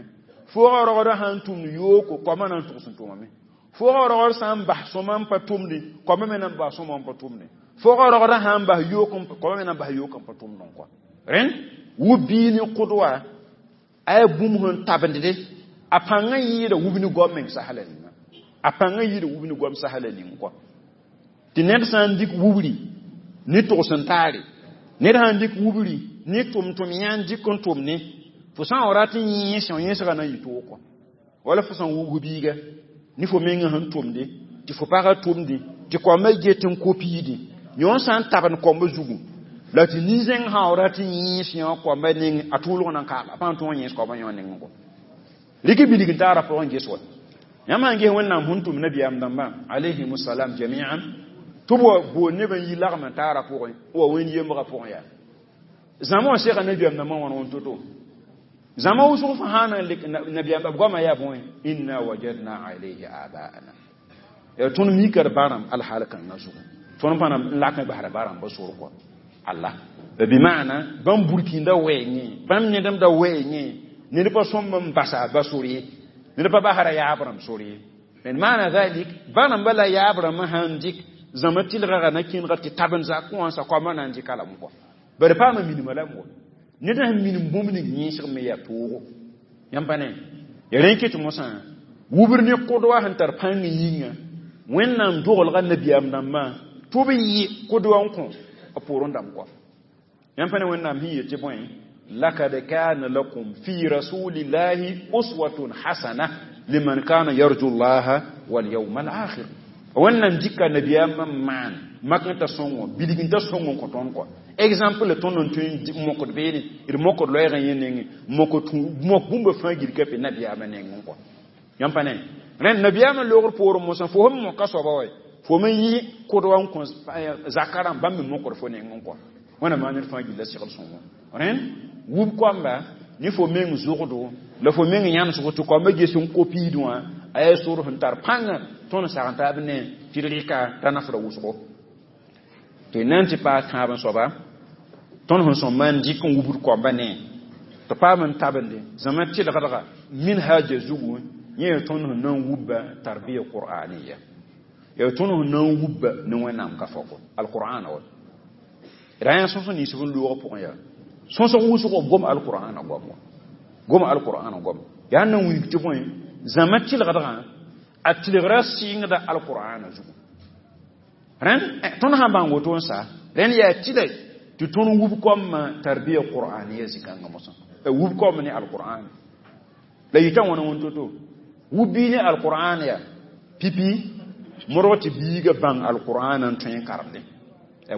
Foogã rogdã sã n tʋm yooko, koambã na n togs n tʋmame. Foogã rogd sã n bas sõma n pa tʋmde, koambã me na n bas sõma n pa tʋmde. Foogã rogdã sã n bas yook, koambã me na n bas yook n pa tʋmdẽ kɔa. Rẽnd, wub bii ne kʋdwa, a yaa bũmb sẽn tabende, a pãngã yɩɩda wub ne goam meng sasla ninga. A pãngã yɩɩda wub ne goam sasla ning kɔa. Tɩ ned sã n dɩk wubri ne togs n taare, ned sã n dɩk wubri ne tʋm-tʋm yã n dɩk n tʋm ne, fo sã n wa rat n yẽes yẽesgã na n yɩ toog kɔa. Wala fo sã n wubg biiga ne fo mengã sẽn tʋmde, tɩ fo pagã tʋmde, tɩ koambã get n kopiide, yõ sã n tabend koambã zugu, la tɩ nin-zẽng sã n rat n yẽes yã koambã neng, a tʋʋlg na n kaaga, a pa n tõog n yẽes koambã yõ nengẽ kɔ. Rɩk bilg n taara pʋgẽ ges wa. Yãmb sã n ges Wẽnnaam sẽn tʋm nabiyaam dãmbã alayhim salam jami'an, tɩ b wa bool neb n yi lagm n taara pʋgẽ, wa wẽnd yembrã pʋgẽ yaa. Zãma wã sega nabiyaam dãmbã wãn wãn to-to. Zãma wʋsg fãa sã n lek nabiyaam b goamã yaa bõe? Inna wajadna alayhi abaana. Yaa tõnd mika d ba rãmb alhaal kãngã zugu. Tõnd pa na n lak n basra ba rãmbã sor kɔa. Allah. Bi maana bãmb burkĩndã wɛɛngẽ, bãmb nedemdã wɛɛngẽ, ned pa sõmb n basa ba sor ye, ned pa basra yaab rãmb sor ye. Maana dhalik, ba rãmbã la yaab rãmbã sã n dɩk zãma tɩlgã na kẽnega tɩ tabend zakẽ wã sa koambã na n dɩka lame kɔa. Bari paama minima lame wa. Ned sẽn minim bũmb ning yẽesg me yaa toogo. Yãmb pa ne? Ya rẽ kɩ tɩ mosã wubr ne kʋdwa sẽn tar pãng yĩnga, Wẽnnaam dogelga nabiyaam dãmbã tɩ b yɩ kʋdwa n kõ a poorẽ dãmb kɔa. Yãmb pa ne Wẽnnaam sẽn yet tɩ bõe? Lakad kana lakum fi rasulillahi uswatun hasana liman kana yarju llaha wal yawma al akhir. Wẽnnaam dɩka nabiyaamã n maan mak n ta sõngo, bilg n ta sõng n kõ tõnd kɔa. Exemple tõnd n tõe n mokd beene, d mokd loɛɛgã yẽ nengẽ, mok mok bũmba fãa gil ka pe nabiyaamã nengẽ kɔa. Yãmb pa ne? Rẽnd nabiyaamã loogr poorẽ mosã fo sẽn moka soaba wa, fo me yɩ kʋdwa n kõ zaka rãmb, bãmb me mokd fo nengẽ kɔa. Wẽnnaam maan ned fãa gilla segl sõngo. Rẽnd wub koamba ne fo meng zʋgdo la fo meng yãmsgo tɩ koambã ges n kopiid wã, a yaa sor sẽn tar pãnga tõnd sag n taab ne tɩ d rɩka t'a nafra wʋsgo. Tɩ na n tɩ paas tãab n soaba, tõnd sẽn sõmba n dɩk n wubd koambã ne tɩ paam n tabende zãma tɩlgdga minhaja zugu, yẽ yaa tõnd sẽn na n wubba tarbiya qur'aniya, yaa tõnd sẽn na n wubba ne Wẽnnaam ka fako alqur'ana wa. Ra yã sõs nins b n loogã pʋgẽ yaa sõsg wʋsgo gom alqur'ana goam wa, gom alqur'ana goam yaa n na n wilg tɩ bõe zãma tɩlgdgã A tilgra sɩngda alqur'ana zugu. Rẽnd tõnd sã n bãng woto n sa, rẽnd yaa tɩlɛ tɩ tõnd wub koamã tarbiya qur'aniya zĩ-kãngã mosã. Wub koam ne alqur'an. La yita wãna wãn to-to. Wub bii ne alqur'an ya pipi modg tɩ biiga bãng alqur'an n tõe n karemdẽ.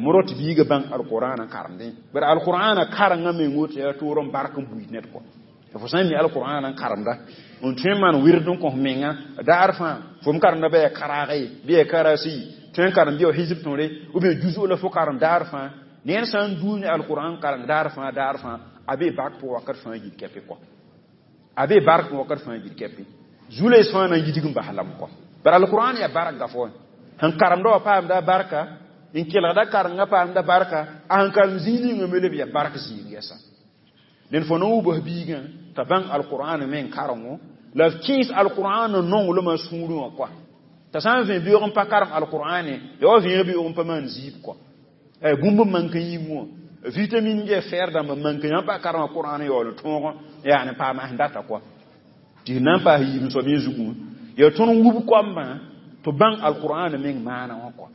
Modg tɩ biiga bãng alqur'an n karemdẽ. Bara alqur'ana karengã meng woto yaa toor n bark n buid ned kɔ. Fo sã n mi alqur'an n karemda n tõe n maan wɩrd n kõs menga daar fãa fo m karemda ba yaa karaag ye bɩ yaa karasi tõe n karem bɩ ya hizb tõre ou bien juzu la fo karem daar fãa ned sã n duus ne alqur'an kareng daar fãa daar fãa a be bark pʋg wakat fãa yid kɛpɩ kɔ. A be bark wakat fãa yid kɛpɩ. Zu-loees fãa na n yidg n bas lam kɔ. Bara alqur'an yaa bark gafo. Sẽn karemda wã paamda barka, n kelgda karengã paamda barka, a sẽn karem zĩig ninga me leb yaa bark zĩig yɛsa. Dẽn fo na n wubs biigã t'a bãng alqur'an me n karengo la f kẽes alqur'an nonglmã sũurẽ wã kɔa. T'a sã n vẽ beoog n pa karem alqur'ane, yaa wa vẽeg beoog n pa maan zɩɩb kɔa. Bũmb n mank n yĩng wã vitamine bɩ fer dãmb n mank yã pa karem alqur'an yaool tõog yaa ne paam sẽn data kɔa. Tɩ na n paas yiib soab yẽ zugu yaa tõnd wub koambã tɩ bãng alqur'an meng maana wã kɔa.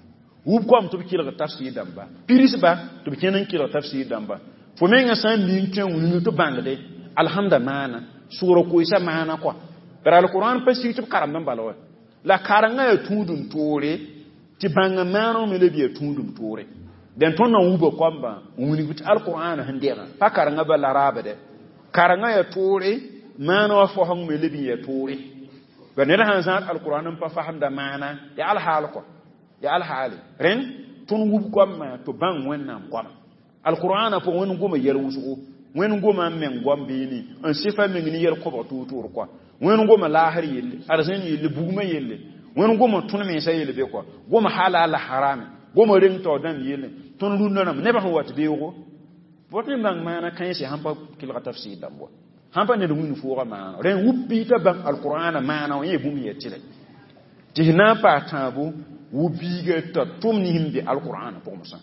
Wub koam tɩ b kelg tafsir dãmba, pirsba tɩ b kẽn n kelg tafsir dãmba. Fo mengã sã n mi n tõe n wilg tɩ bãngde alhamda maana, sʋgra koeesa maana kɔa. Bara alqur'an pa sig tɩ b karemd n bala wa. La karengã yaa tũudum toore tɩ bãnga maaneg me leb yaa tũudum toore. Dẽn tõnd na n wuba koambã n wilg tɩ alqur'an sẽn degã pa karengã ba la raabde. Karengã yaa toore, maana wã foseng me leb n yaa toore. Ba ned sãn zãad alqur'an n pa fasemda maana, yaa alhaal kɔ. Yaa alhaale. Rẽnd tõnd wub koambã tɩ bãng Wẽnnaam goama. Alqur'ana pʋgẽ Wẽnd goma yɛl wʋsgo, Wẽnd goma n meng goam beene, n sɩfa meng ne yɛl kobg toor-toor kɔa. Wẽnd goma laasr yelle, arzẽn yelle, bugmã yelle. Wẽnd goma tõnd mensã yelle be kɔa. Goma halal la harame, goma reng tao dãmb yelle. Tõnd rũndã rãmb nebã sẽn wat beoogo, bõt ne bãng maana kãense sãn pa kelga tafsir dãmb wa. Sãn pa ned wĩnd foogã maana. Rẽnd wub bii t'a bãng alqur'ana maana wã yẽ bũmb yaa tɩlɛ. Tɩ s na n paas tãabo wub biiga t'a tʋm ne sẽn be alqur'ana pʋgẽ mosã.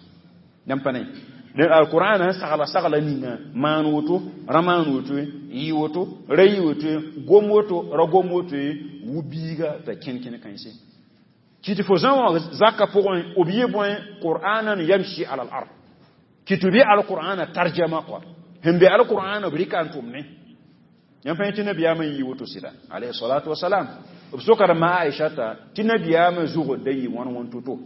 Yãmb pa ne. Dẽn alqur'ana sẽn sagla sagla ninga maan woto, ra maan woto, yɩ woto, ra yɩ woto, gom woto, ra gom woto, wub biiga t'a kẽn kẽn kãense. Kɩ tɩ fo zã wã zakã pʋgẽ b yɩ bõe qur'anan yamshi ala al-ard. Kɩ tɩ bɩ alqur'ana tarjama kɔa. Sẽn be alqur'ana b rɩka n tʋmne. Yãmb pa yẽ tɩ nabiyaamã n yɩ woto sɩda alayhi salatu wasalam. B sokda ma Aisha t'a tɩ nabiyaamã zugd da yɩ wãn wãn to-to.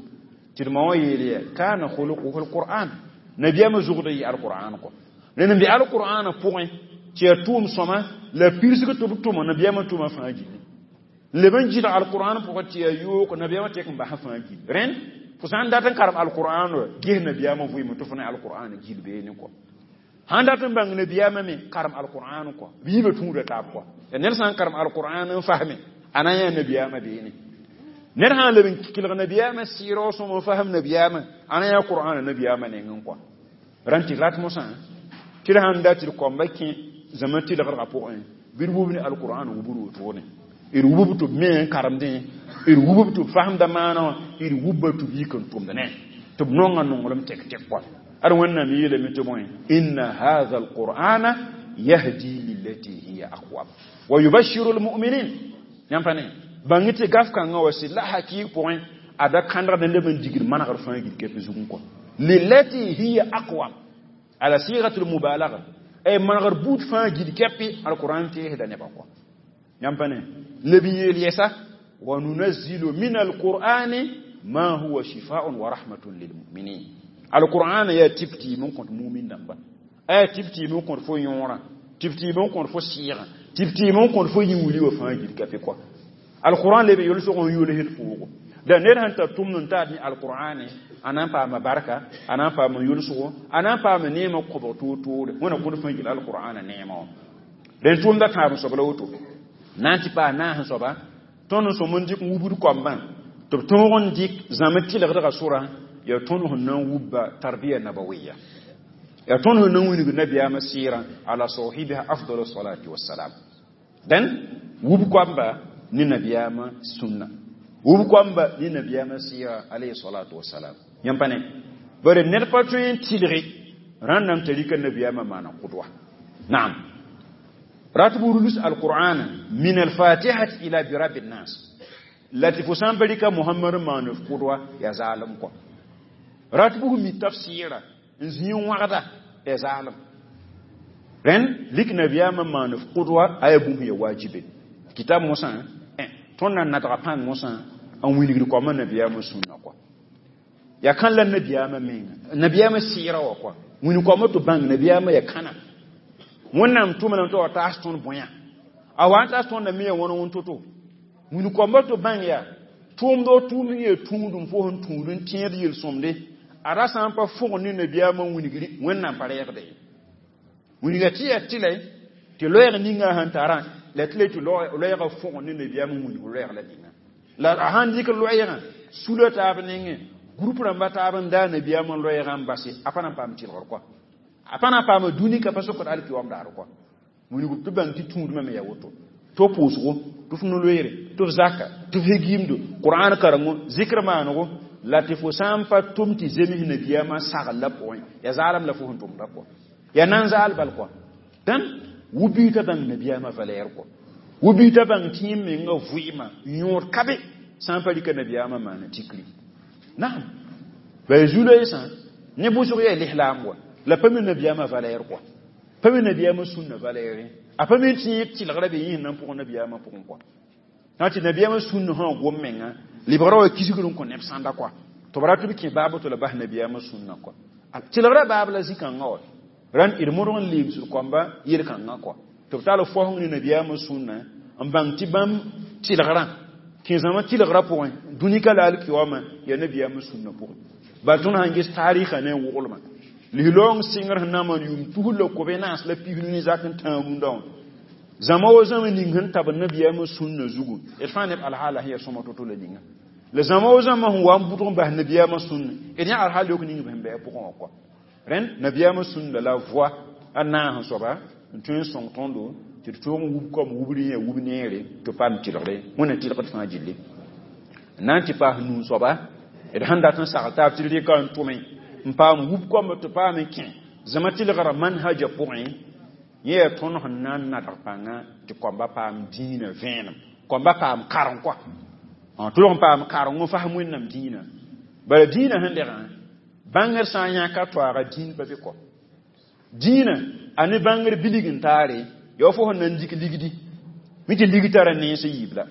Tɩ d ma wã yeel yaa kana khuluquhu alqur'an. Nabiyaamã zugd yɩ alqur'an kɔ. Rẽnd n be alqur'ana pʋgẽ tɩ yaa tʋʋm sõma la pirsg tɩ b tʋma nabiyaamã tʋma fãa gilli. Leb n gɩdg alqur'an pʋgẽ tɩ yaa yoog nabiyaamã tek n bas fãa gilli. Rẽnd fo sã n dat n karem alqur'an wa ges nabiyaamã vɩɩm tɩ fo ne alqur'an gil beene kɔ. Sãn dat n bãng nabiyaamã me karem alqur'an kɔ. B yiibã tũuda taab kɔ. Ya ned sã n karem alqur'an n fasme a na n yã nabiyaamã beene. Ned sã n leb n kelg nabiyaamã sɩɩrg sõm n fasem nabiyaamã a na yã qur'an nabiyaamã nengẽ kɔ. Rãn tɩ rat mosã tɩ d sãn dat tɩ d koamba kẽ zãma tɩlgdgã pʋgẽ bɩ d wub ne alqur'an wubr wotone. D wubb tɩ b me n karemdẽ, d wubb tɩ b fasemda maana wã, d wubba tɩ b yik n tʋmd ne tɩ b nonga nonglem tek-tek kɔa. Ad Wẽnnaam yeelame tɩ bõe inna hadha alqur'ana yahdi lillati hiya aqwam wa yubashiru almu'minin. Yãmb pa ne bãng tɩ gaf kãngã wa sɩd la hakɩɩg pʋgẽ a da kãndgd n leb n digd manegr fãa gil kɛp zugẽ kɔ. Lillati hiya aqwam ala sigat almubalagha ay manegr buud fãa gil kɛpɩ alqur'an teesda nebã kɔ. Yãmb pa ne leb n yeel yɛsa wa nunazzilu min alqur'ani ma huwa shifaa'un wa rahmatun lilmu'minin. Alqur'an yaa tɩp tɩɩm n kõt mumin dãmba, a yaa tɩp tɩɩm n kõt fo yõorã, tɩp tɩɩm n kõt fo sɩɩgã, tɩp tɩɩm n kõt fo yĩn-wili wã fãa gil kɛpɩ kɔ. Alqur'an leb yolsg n yʋls d foogo. Da ned sẽn tar tʋmd n taad ne alqur'ane a na n paama barka, a na n paama yʋlsgo, a na n paama neemã kobg toor-toore. Wẽna kõt fãa gil alqur'ana neemã wã. Dẽn tʋʋmda tãab soab la woto. Na n tɩ paas naas soaba tõnd n sõm n dɩk n wubd koambã tɩ b tõog n dɩk zãm tɩlgdgã sʋra yaa tõnd sẽn na n wubba tarbiya nabawiya. Yaa tõnd sẽn na n wilg nabiyaamã sɩɩrã ala sahibiha afdalu salati wassalam. Dẽn wub koamba ne nabiyaamã sũnna, wub koamba ne nabiyaamã sɩɩrã alayhi salatu wassalam. Yãmb pa ne bare ned pa tõe n tɩlge rãndame t'a rɩka nabiyaamã maana qudwa. Naam rat b rulus alqur'ana min alfatihati ila birabi nnas. La tɩ fo sã n pa rɩka Mohamad n maan f kʋdwa yaa zaalem kɔ. Rat bʋ mi tafsɩɩra n zĩ n wãgda yaa zaalem. Rẽnd lik nabiyaamã maan f kʋdwa a yaa bũmb ya wajibe. Kitab mosã tõnd na nadga pãng mosã n wilgd koamã nabiyaamã sũnna kɔ. Yaa kãn la nabiyaamã menga nabiyaamã sɩɩra wã kɔ. Wĩn koamã tɩ bãng nabiyaamã yaa kãna. Wẽnnaam tʋma lame tɩ wa taas tõnd bõe a wa n taas tõnd me ya wãn wẽn to-to. Wĩn koambã tɩ bãng yaa tʋʋmd o tʋʋmd yee tũudum fo sẽn tũud n tẽed yel-sõmde a ra sã n pa fʋgd ne nabiyaamã wilgri Wẽnnaam pa reegde ye. Wilga tɩ yaa tɩlɛ tɩ loɛɛg ninga sẽn tarã la tɩ le tɩ loɛɛgã fʋgd ne nabiyaamã wilg loɛɛg la ninga. La a sãn dɩk loɛɛgã sula taab nengẽ groupe rãmba taab n daa nabiyaamã loɛɛgã n base a pa na n paam tɩlgr kɔ. A pa na n paama dũni ka pa sokd alkiyoam daar kɔ. Wilg tɩ bãng tɩ tũudmã me yaa woto. Tɩ f pʋʋsgo tɩ f no-loeere tɩ f zaka tɩ f hegiimdo Qur'an karengo zikr maanego la tɩ fo sã n pa tʋm tɩ zems nabiyaamã sagl la pʋgẽ yaa zaalem la fo sẽn tʋmda kɔ. Yaa nan zaal bal kɔ. Dãn wu-biigã bãng nabiyaamã valɛɛr kɔ. Wu-biigã bãng tɩ yẽ menga vʋɩɩmã yõod ka be sã n pa rɩka nabiyaamã maana tikri. Naam. Ba zu-loeesã ne bʋsg yaa lislaam wa la pa mi nabiyaamã valɛɛr kɔ. Pa mi nabiyaamã sũnna valɛɛre. A pa mi tɩ yẽ tɩlgrã be yẽ sẽn na n pʋgẽ nabiyaamã pʋgẽ kɔ. Na tɩ nabiyaamã sũnna sã gom menga lebgrã wa kisgr n kõ neb sãnda kɔ. Tɩ b rat b kẽ baab tɩ la bas nabiyaamã sũnna kɔ. Tɩlgrã baab la zĩ-kãngã wa. Rãnd d modg n leemsd koamba yel-kãngã kɔ. Tɩ b tall fosg ne nabiyaamã sũnna n bãng tɩ bãmb tɩlgrã kẽ zãma tɩlgrã pʋgẽ dũni ka la alkiyoamã yaa nabiyaamã sũnna pʋgẽ. Bal tõnd sãn ges taarɩsã ne woglmã lislaoong sɩngr sẽn na n maan yʋʋm tus la kobe naas la pisnu ne zak n tãag rũndã wã. Zãma wa zãma ning sẽn tab nabiyaamã sũnna zugu d fãa neb alhaala sẽn yaa sõma to-to la ninga. La zãma wa zãma sẽn wa n bʋdg n bas nabiyaamã sũnna d yã alhaal yok ning b sẽn bɩ a pʋgẽ wã kɔ. Rẽnd nabiyaamã sũnna la voa a naas soaba n tõe n sõng tõndo tɩ d tõog n wub kom wubr yẽ wub neere tɩ paam tɩlgre Wẽnna tɩlgd fãa gilli. N na n tɩ paas nuu soaba d sẽn dat n sagl taab tɩ d rɩka n tʋme n paam wub koambã tɩ paam n kẽ zãma tɩlgrã manhaja pʋgẽ yẽ yaa tõnd sẽn na n nadg pãnga tɩ koamba paam dĩinã vẽenem koamba paam kareng kɔa. Tɩ log n paam kareng n fasem Wẽnnaam dĩinã. Bala dĩinã sẽn degã bãngr sã n yãka toaaga dĩin pa be kɔ. Dĩinã a ne bãngr bilg n taare yaa fo sẽn na n dɩk ligdi mi tɩ lig tara nens yiib la.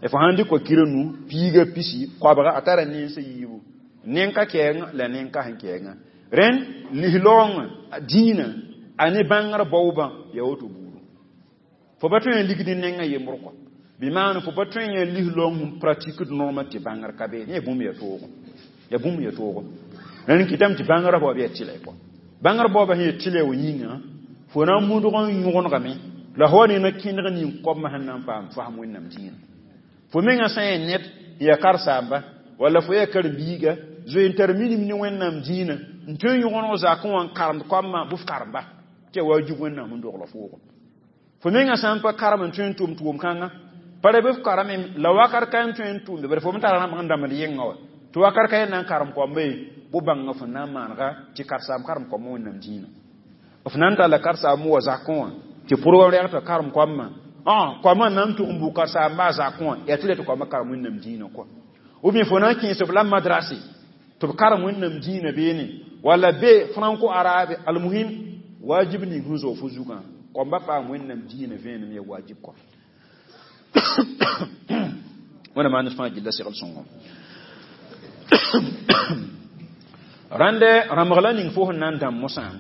Fo sãn dɩk kira nu piiga pisi koabga a tara nens yiibu nen ka kɛɛngã la nen ka sẽn kɛɛngã. Rẽnd lislaoongã dĩinã a ne bãngr baoobã yaa woto buudu. Fo pa tõe n ligd nengã yembr kɔ. Bɩ maan fo pa tõe n yaa lislaoong sẽn pratikd noomã tɩ bãngr ka be yaa bũmb yaa toogo. Yaa bũmb yaa toogo. Rẽnd kɩtame tɩ bãngrã baoob yaa tɩlɛ kɔ. Bãngr baoobã sẽn yaa tɩlɛ wã yĩnga fo na n mudg n yõgenegame la fo wa ne na kẽneg ning koabmã sẽn na n paam fasem Wẽnnaam dĩinã. Fo mengã sã n yaa ned n yaa karsaamba walla fo yaa karen-biiga zoe n tar minim ne Wẽnnaam dĩinã n tõe n yõgeneg zakẽ wã n karemd koabmã bɩ f karemba tɩ yaa wajib Wẽnnaam n dogl foogo. Fo mengã sã n pa karem n tõe n tʋm tʋʋm-kãngã pa ra bɩ f kareme la wakat ka n tõe n tʋmde bala fo me tara rãmb n dãmbd yẽngã wa tɩ wakat ka yẽ na n karem koamba ye bʋ bãnga fo na n maanega tɩ karsaam karem koambã Wẽnnaam dĩinã. F na n talla karsaam wa zakẽ wã tɩ pʋrgã rɛg tɩ karem koambã koambã na n tʋg n bʋ karsaambã zakẽ wã yaa tɩ la tɩ koambã karem Wẽnnaam dĩinã kɔa. Ou bien fo na n kẽes b la madrase tɩ b karem Wẽnnaam dĩinã beene walla be franco arabe almuhim wajib ning sẽn zao fo zugã koambã paam Wẽnnaam dĩinã vẽenem yaa wajib kɔ. Wẽnna maan fãa gilla segl sõngo. Rãnde rãmbg la ning fo sẽn na n dãmb mosã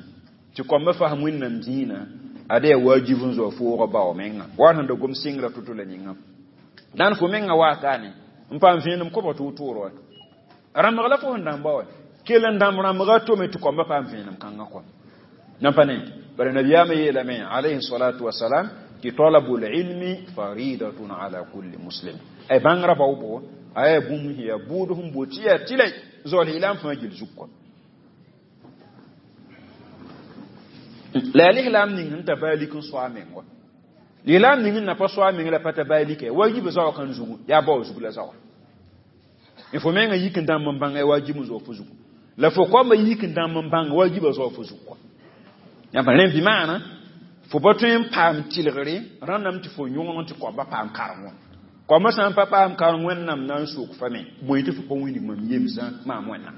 tɩ koambã fasem Wẽnnaam dĩinã ada yaa wajib n zoa foogã bao menga wa sẽn da gom sɩngrã to-to la ninga. Dãn fo menga waakaane n paam vẽenem koabg tɩ wotore wa. Rãmbg la fo sẽn dãmba wa kell n dãmb rãmbga tome tɩ koambã paam vẽenem kãngã kɔ. Nan pa ne bara nabiyaamã yeelame alayhi salatu wasalam tɩ talabul ilmi faridatun ala kulli muslim. Ay bãngrã baoobo a yaa bũmb sẽn yaa bʋʋd sẽn boot tɩ yaa tɩlɛ zaool ilam fãa gill zug kɔ. La yaa lislaam ning sẽn ta baalik n soa meng wa. Lislaam ning n na pa soa meng la pa ta baalika wajib zaoa kãn zugu yaa bao zug la zaoa. Fo mengã yik n dãmb n bãnga yaa wajib n zao fo zugu. La fo koambã yik n dãmb n bãnga wajiba zao fo zug kɔ. Yãmb rẽ bɩ maana fo pa tõe n paam tɩlgre rãndame tɩ fo yõgen tɩ koambã paam karem wã. Kɔmã sã n pa paam karem Wẽnnaam na n sok fa me, bõe tɩ fo pa wilg mam yemsã maam Wẽnnaam.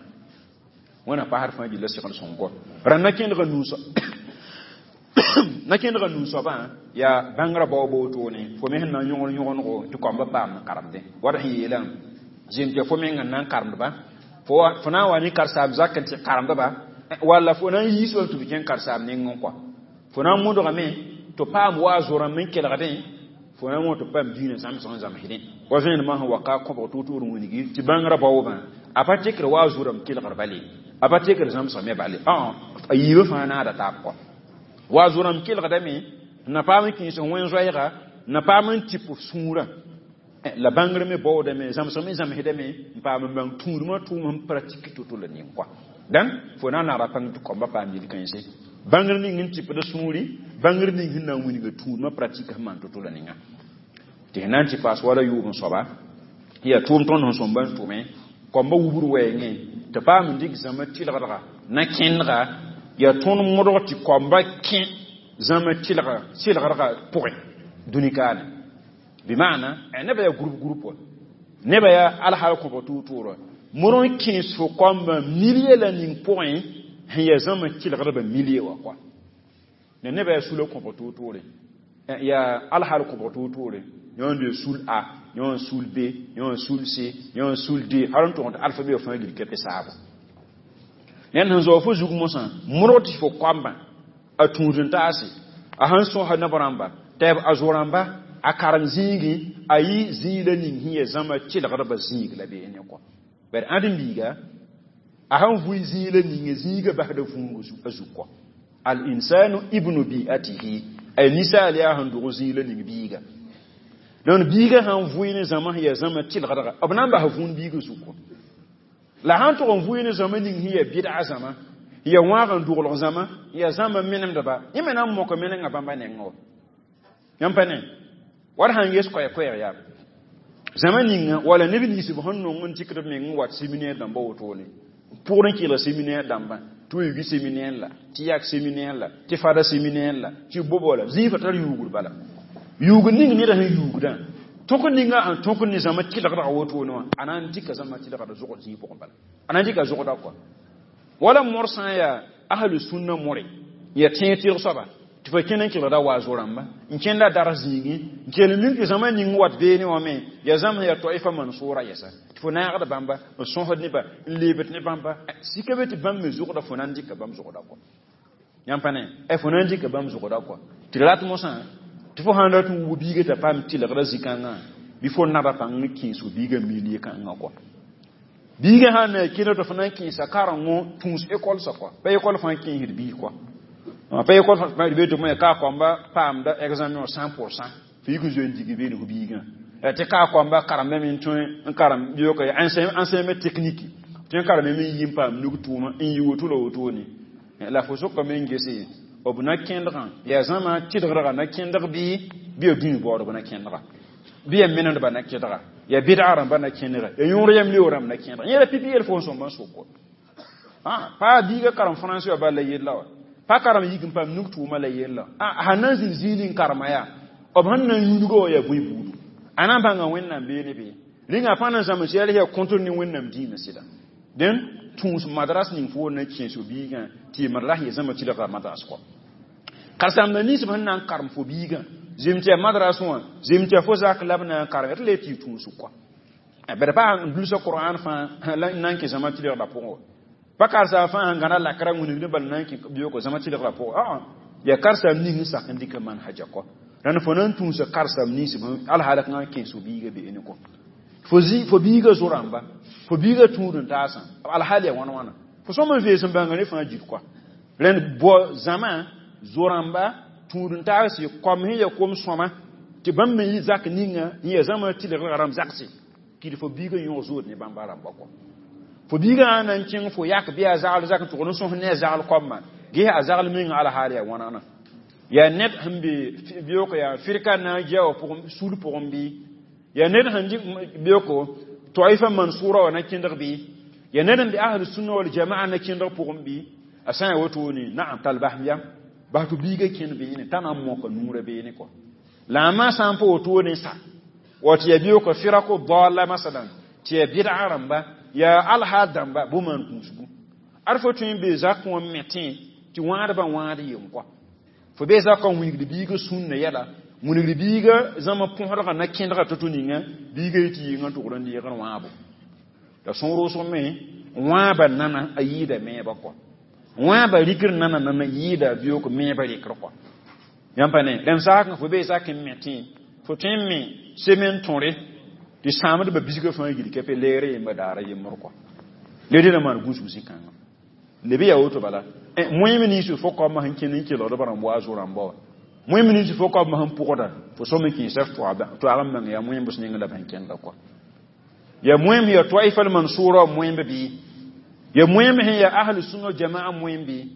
Wẽna pasd fãa gilla segl sõng kɔ. Rãnd na kẽndga nuusã, na kẽndga nu-soabã yaa bãngrã bao ba wotone, fo me sẽn na n yõgd yõgendgo tɩ kɔmbã paam n karemdẽ. Wala sẽn yeelã, zem tɩ fo meng n na n karemdba, fo na n wa ne karen-saam zak n tɩ karemdba, walla fo na n yiis bãmb tɩ b kẽng karen-saam nengẽ kɔa. Fo na n modgame tɩ paam wa a zo-rãmb n kelgdẽ, fo na n wõ tɩ paam diinã zãmsg n zãmsdẽ. Wa vẽenemã sẽn wa ka kõbg toor-toor wilgi tɩ bãngrã baoobã a pa tekd wa a zo-rãmb kelgr bale, a pa tekd zãmsg me bale, a yiibã fãa naada taab kɔa. Wa zo-rãmb kelgdame n na paam n kẽes wẽn-zoɛɛga, n na paam n tɩp f sũurã la bãngr me baoodame, zãmsg me zãmsdame, n paam n bãng tũudmã tʋʋm sẽn pratik to-to la ning kɔa. Dãn fo na n naada pãng tɩ kɔmbã paam yel-kãense bãngr ning n tɩpd sũuri, bãngr ning sẽn na n wilga tũudmã pratik sẽn maan to-to la ninga. Tɩ sẽn na n tɩ paas wala yʋʋm soaba yaa tʋʋm tõnd sẽn sõmba n tʋme kɔmbã wubr wɛɛngẽ tɩ paam n dɩk zãma tɩlgdga na kẽndga, yaa tõnd modg tɩ kɔmbã kẽ zãma tɩlga sɩlgdga pʋgẽ dũni kaane. Bɩ maana nebã yaa groupe groupe wa, nebã yaa alhaal kõbg tʋʋr-tʋʋra modg n kẽes fo kɔmbã milie la ning pʋgẽ sẽn yaa zãma tɩlgdbã milie wã kɔa. La nebã yaa sula kõbg tʋʋr-tʋʋre, yaa alhaal kõbg tʋʋr-tʋʋre, yõ n de sul A, yõ n sul B, yõ n sul C, yõ n sul D, hal n tʋg tɩ alphabet fãa gil kɛpɛ saabo. Ned sẽn zao fo zug mosã, modg tɩ fo kɔmbã a tũud n taase, a sẽn sõsa neb rãmba tɩ a zo-rãmba a karem zĩigẽ, a yɩ zĩig la ning sẽn yaa zãma tɩlgdbã zĩig la beene kɔ. Bari ãdem biiga a sẽn vʋɩ zĩig la ninge, zĩigã basda vũung a zug kɔ. Al insanu ibnu bi'atihi, ay ninsaal yaa sẽn dog zĩig la ning biiga. Donc biiga sãn vʋɩ ne zãma sẽn yaa zãma tɩlgdga, b na n bas vũun biigã zug kɔ. La sãn tʋg n vʋɩ ne zãma ning sẽn yaa bɩdga zãma, yaa wãag n doglg zãma, yaa zãma menemdba, yẽ me na n moka menengã bãmba nengẽ wa. Yãmb pa ne wat sãn ges koɛɛ-koɛɛg yaa zãma ninga wala neb nins b sẽn nong n dɩkd b meng n wat séminaire dãmba wotone, pʋgr n kɩlg séminaire dãmbã, tɩ yugi séminaire la, tɩ yak séminaire la, tɩ fada séminaire la, tɩ bobo la zĩig fa tar yuugr bala. Yuugr ning neda sẽn yuugdã tõk ninga sẽn tõk ne zãma tɩlgdga wotone wã, a na n dɩka zãma tɩlgda zʋgd zĩig pʋgẽ bala, a na n dɩka zʋgda kɔa. Wala mor sã n yaa ahlu sunna more, yaa tẽeg tɩlg soaba tɩ fa kẽnd n kelgda wa zo-rãmba n kẽnda dar zĩigẽ n kell mink tɩ zãma ning wat beene wã me yaa zãma yaa toifa mansoora yɛsa, tɩ fo naagd bãmba n sõsd nebã n leebd ne bãmba sika be tɩ bãmb me zʋgda, fo na n dɩka bãmb zʋgda kɔ. Yãmb pa ne fo na n dɩka bãmb zʋgda kɔ. Tɩ rat mosã tɩ fo sãn rat n wub biiga t'a paam tɩlgda zĩ-kãngã, bɩ fo naba pãng n kẽes fo biigã milie kãngã kɔ. Biigã sãn na kẽnd tɩ fo na n kẽesa karengo tũus école sã kɔ, pa école fãa kẽesd biig kɔ, pa école fãa be tɩ ka kɔmba paamda examen cent pour cent, fo yik n zoe n dig beene fo biigã tɩ ka kɔmba karembame n tõe n karem biooka enseignement technique tɩ n kareme me n yi n paam nug tʋʋma n yi woto la wotone la fo sokame n gese b na kẽndgã yaa zãma tɩlgdga na kẽndg bɩ bɩ ya dũni baoodb na kẽndga, bɩ ya menemdba na kẽdga, ya bɩdga rãmba na kẽndga, ya yõor yam leo rãmb na kẽndga. Yẽ ra pipi yel fo n sõmba n sokɔ pa biiga karem français wã bal la yella wa, pa karem yik n paam nug tʋʋma la yella, a sãn na n zĩnd zĩig n karema yaa b sẽn na n yũudga wã yaa bõe buudu, a na n bãnga Wẽnnaam beene bee rĩnga pa na n zãms yɛl yaa kõtr ne Wẽnnaam dĩimã sɩda. Dẽn tũus madras ning fo na kẽes fo biigã tɩ y madras ya zãma tɩlgra madras kɔ. Karen-saambã nins b sẽn na n karem fo biigã zem tɩ yaa madras wã, zem tɩ yaa fo zak la b na n karem tɩ le tɩ y tũus kɔ. Bad pa n dulsa Qur'an fãa la n na n kẽ zãma tɩlgda pʋgẽ wa, pa karsaam fãa sẽn gãda lakra wĩnigd bal na n kẽ bioogo zãma tɩlgrã pʋgẽ, yaa karsaam ning n sak n dɩka manhaja kɔ. Rãnd fo na n tũusa karsaam nins alhaal kãngã kẽes fo biigã beene kɔ. Fo zi fo biigã zo-rãmba, fo biigã tũud n taasã alhaal yaa wãn wãna, fo sõm n vees n bãnga ne fãa gil kɔ. Rẽnd bao zãma zo-rãmba tũud n taas kom sẽn yaa kom sõma tɩ bãmb me yɩ zak ninga n yaa zãma tɩlgrã rãmb zakse kɩd fo biigã yõog zood ne bãmba rãmba kɔ. Fo biigã sã na n kẽng fo yak bɩ a zagl zak n tʋgd n sõs ne a zagl koamã, ges a zagl meng alhaal yaa wãnana, yaa ned sẽn be bioogo yaa firka na n gia wã pʋgẽ sul pʋgẽ bɩ yaa ned sẽn dɩk bioko toifa mansura wã na kẽndg bɩ yaa ned n be ahlu sunna wal jamaa na kẽndg pʋgẽ bɩ a sã n yaa wotone naam tall basem yam bas tɩ biigã kẽnd beene t'a na n moka nuurã beene kɔ. La a ma sã n pa wotone sa Wa tɩ yaa biooka firako daala masalan, tɩ yaa bid'a rãmba, yaa alhaal dãmba, bʋ maan gũusgu. Ad fo tõe n bee zakẽ wã n metẽ tɩ wãadbã wãad yem kɔa. Fo bee zakã n wilgd biigã sũnna yɛla, wilgd biigã zãma põsdgã na kẽdgã to-to ninga, biigã yetɩ yɩngã tʋgd n deegd wãabo. La sõor wʋsg me, wãaba nana a yɩɩda meebã kɔa. Wãaba rikr nana nana yɩɩda biʋk meebã rɩkr kɔa. Yãmb pa ne, rẽnd zakẽ fo bee zakẽ n metẽ, fo tõe n me semen tõre tɩ sãamdbã bisgã fãa gil kɛpɛ leere yemba daara yembr kɔa. Le dẽna maan gũusg zĩ-kãngã. Leb yaa woto bala. Moẽm nins fo kaombã sẽn kẽnd n kelgd b rãmb wa a zo-rãmba wã. Moẽm nins fo kaombã sẽn pʋgda, fo sõm n kẽesa f toag n bãng yaa moẽmbs neng la b sẽn kẽnda kɔa. Ya moẽm ya taifa al-mansura moẽmb bɩ. Ya moẽmb sẽn ya ahlu sunna jamaa moẽmb bɩ.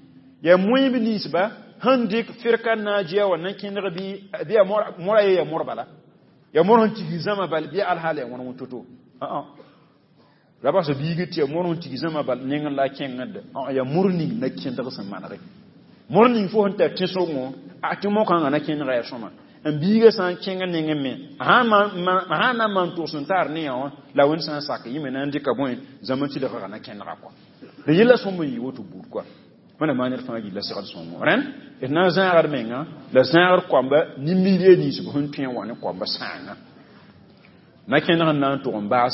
Ya moẽmb ninsba sẽn dɩk firka najiya wã na kẽndg bɩ bɩ ya mora ye ya mor bala. Ya mor sẽn tig zãma bal bɩ alhaal ya wãn woto-to. Ra bas biig tɩ ya mor sẽn tig zãma bal neng la kẽngd ya mor ning na kẽndg sẽn manege. Mor ning fo sẽn tar tẽsgõ a tɩ mokãngã na kẽndga ya sõma. N biigã sã n kẽng nengẽ me, sã na n maan togs n tar ne yã wã, la wẽnd sã n sak yĩme na n dɩka bõe zãma tɩlgã na kẽndga kɔa. La yella sõm n yɩ woto buud kɔa. Wẽnna maan ned fãa gilla segd sõngo. Rẽnd, d na n zãagd menga, la zãagd koamba nin-milie nins b sẽn tõe n wa ne koamba sãanga. Na kẽndg n na n tʋg n baas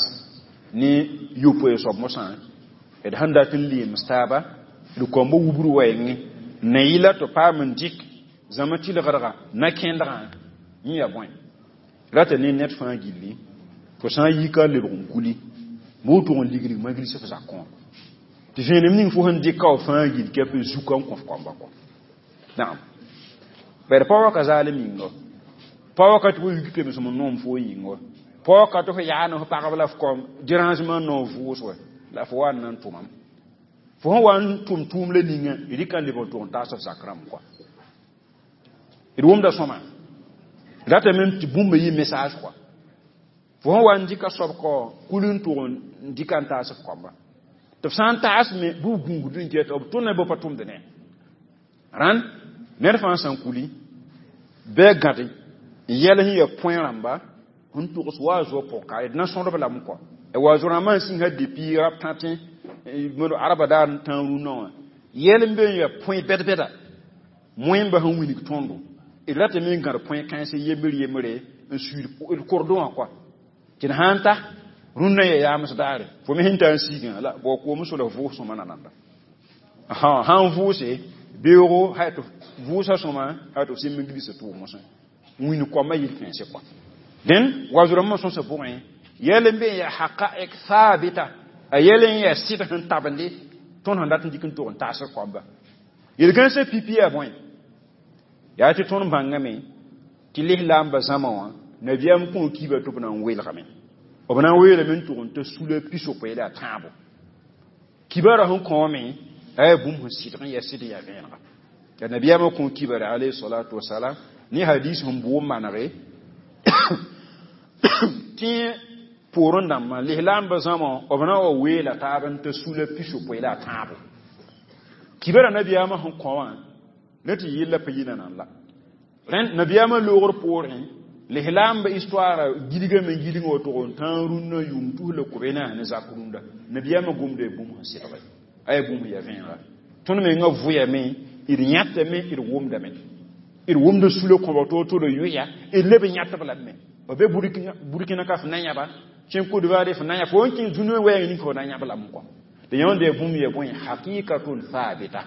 ne yopoe soab mosã, d sẽn dat n leems taaba, d koamba wubr wɛɛngẽ, na yɩla tɩ paam n dɩk zãma tɩlgdga na kẽndgã yẽ yaa bõe. Rata ne ned fãa gilli, fo sã n yi ka lebg n kuli, bɩ tʋg n liglig maglis f zakẽ wã. Tɩ vẽenem ning fo sẽn dɩka f fãa gill kɛp zuka n kõ f koamba kɔ. Naam. Bari pa waka zaalem yĩnga. Pa wakat fo yik pemsem n noom fo yĩnga. Pa wakat fo yaa ne f pagb la f kom dérangement noor vʋʋs wɛ la fo wa n na n tʋmam. Fo sẽn wa n tʋm tʋʋm la ninga, d rɩka n lebg n tʋg n taas f zak rãmb kɔa. D wʋmda sõma. Ratame tɩ bũmb yɩ message kɔa. Fo sẽn wa n dɩka soab kɔ kul n tʋg n dɩka n taas f koamba. Tɩ f sã n taas me bɩ b gũusd n ket b tʋna bɩ pa tʋmd ne. Rãnd ned fãa sã n kuli bɩ a gãde n yɛl sẽn ya põe rãmba n togs wa a zoa pʋg ka d na sõdb lame kɔa. Wa zo-rãmbã n sĩnga depuis rab tãtẽ araba daar n tãag rũnnã wã yɛl n be n ya põe bɛd-bɛda moẽmbã sẽn wilg tõndo d ratame n gãd põe kãens yembr yembre n suiid d kordõ wã kɔa. Tɩ d sã n ta rũnnã ya yaams daare fo me sẽn tar n siigã la bao koom so la vʋʋs sõma nananda. Sã n vʋʋse beoogo ha tɩ vʋʋsa sõma ha tɩ f sẽm n gilsa tʋʋg mosẽ wĩnd koambã yɩl kãense kɔa. Dẽn wa zo-rãmbã sõsa pʋgẽ yɛl n be n yaa haqaik thabita a yɛl n yaa sɩd sẽn tabende tõnd sẽn dat n dɩk n tʋg n taasd koamba. Yel-kãensã pipi yaa bõe? Yaa tɩ tõnd bãngame tɩ lislaambã zãma wã nabiyaam kõ kiiba tɩ b na n weelgame. B na n weelame n tʋg n ta sula pisopoe la a tãabo. Kibara sẽn kõome a yaa bũmb sẽn sɩdg n yaa sɩd n yaa vẽenega. La nabiyaamã kõ kibare alayhi salatu wasalam ne hadis sẽn bʋʋm manege tɩ poorẽ dãmbã lislaambã zãma b na wa weela taab n ta sula pisopoe la a tãabo. Kibara nabiyaamã sẽn kõ wã ne tɩ yella pa yi nanam la. Rẽnd nabiyaamã loogr poorẽ lislaambã histoire gilgame gilgã wa tʋg n tãag rũnnã yʋʋm tus la kobe naas ne zak rũndã nabiyaamã gomda ya bũmb sẽn sɩdge a yaa bũmb ya vẽenega. Tõnd menga vʋyame d yãtame d wʋmdame. D wʋmda sula kõba to-to la yʋya d leb n yãtb lame. B be Burkina ka f na yãba kẽn Côte d'Ivoire f na yã fo n kẽ dũniyã wɛɛng ning fo na yãb lame kɔ. Tɩ yãmb ya bũmb ya bõe hakikatun thabita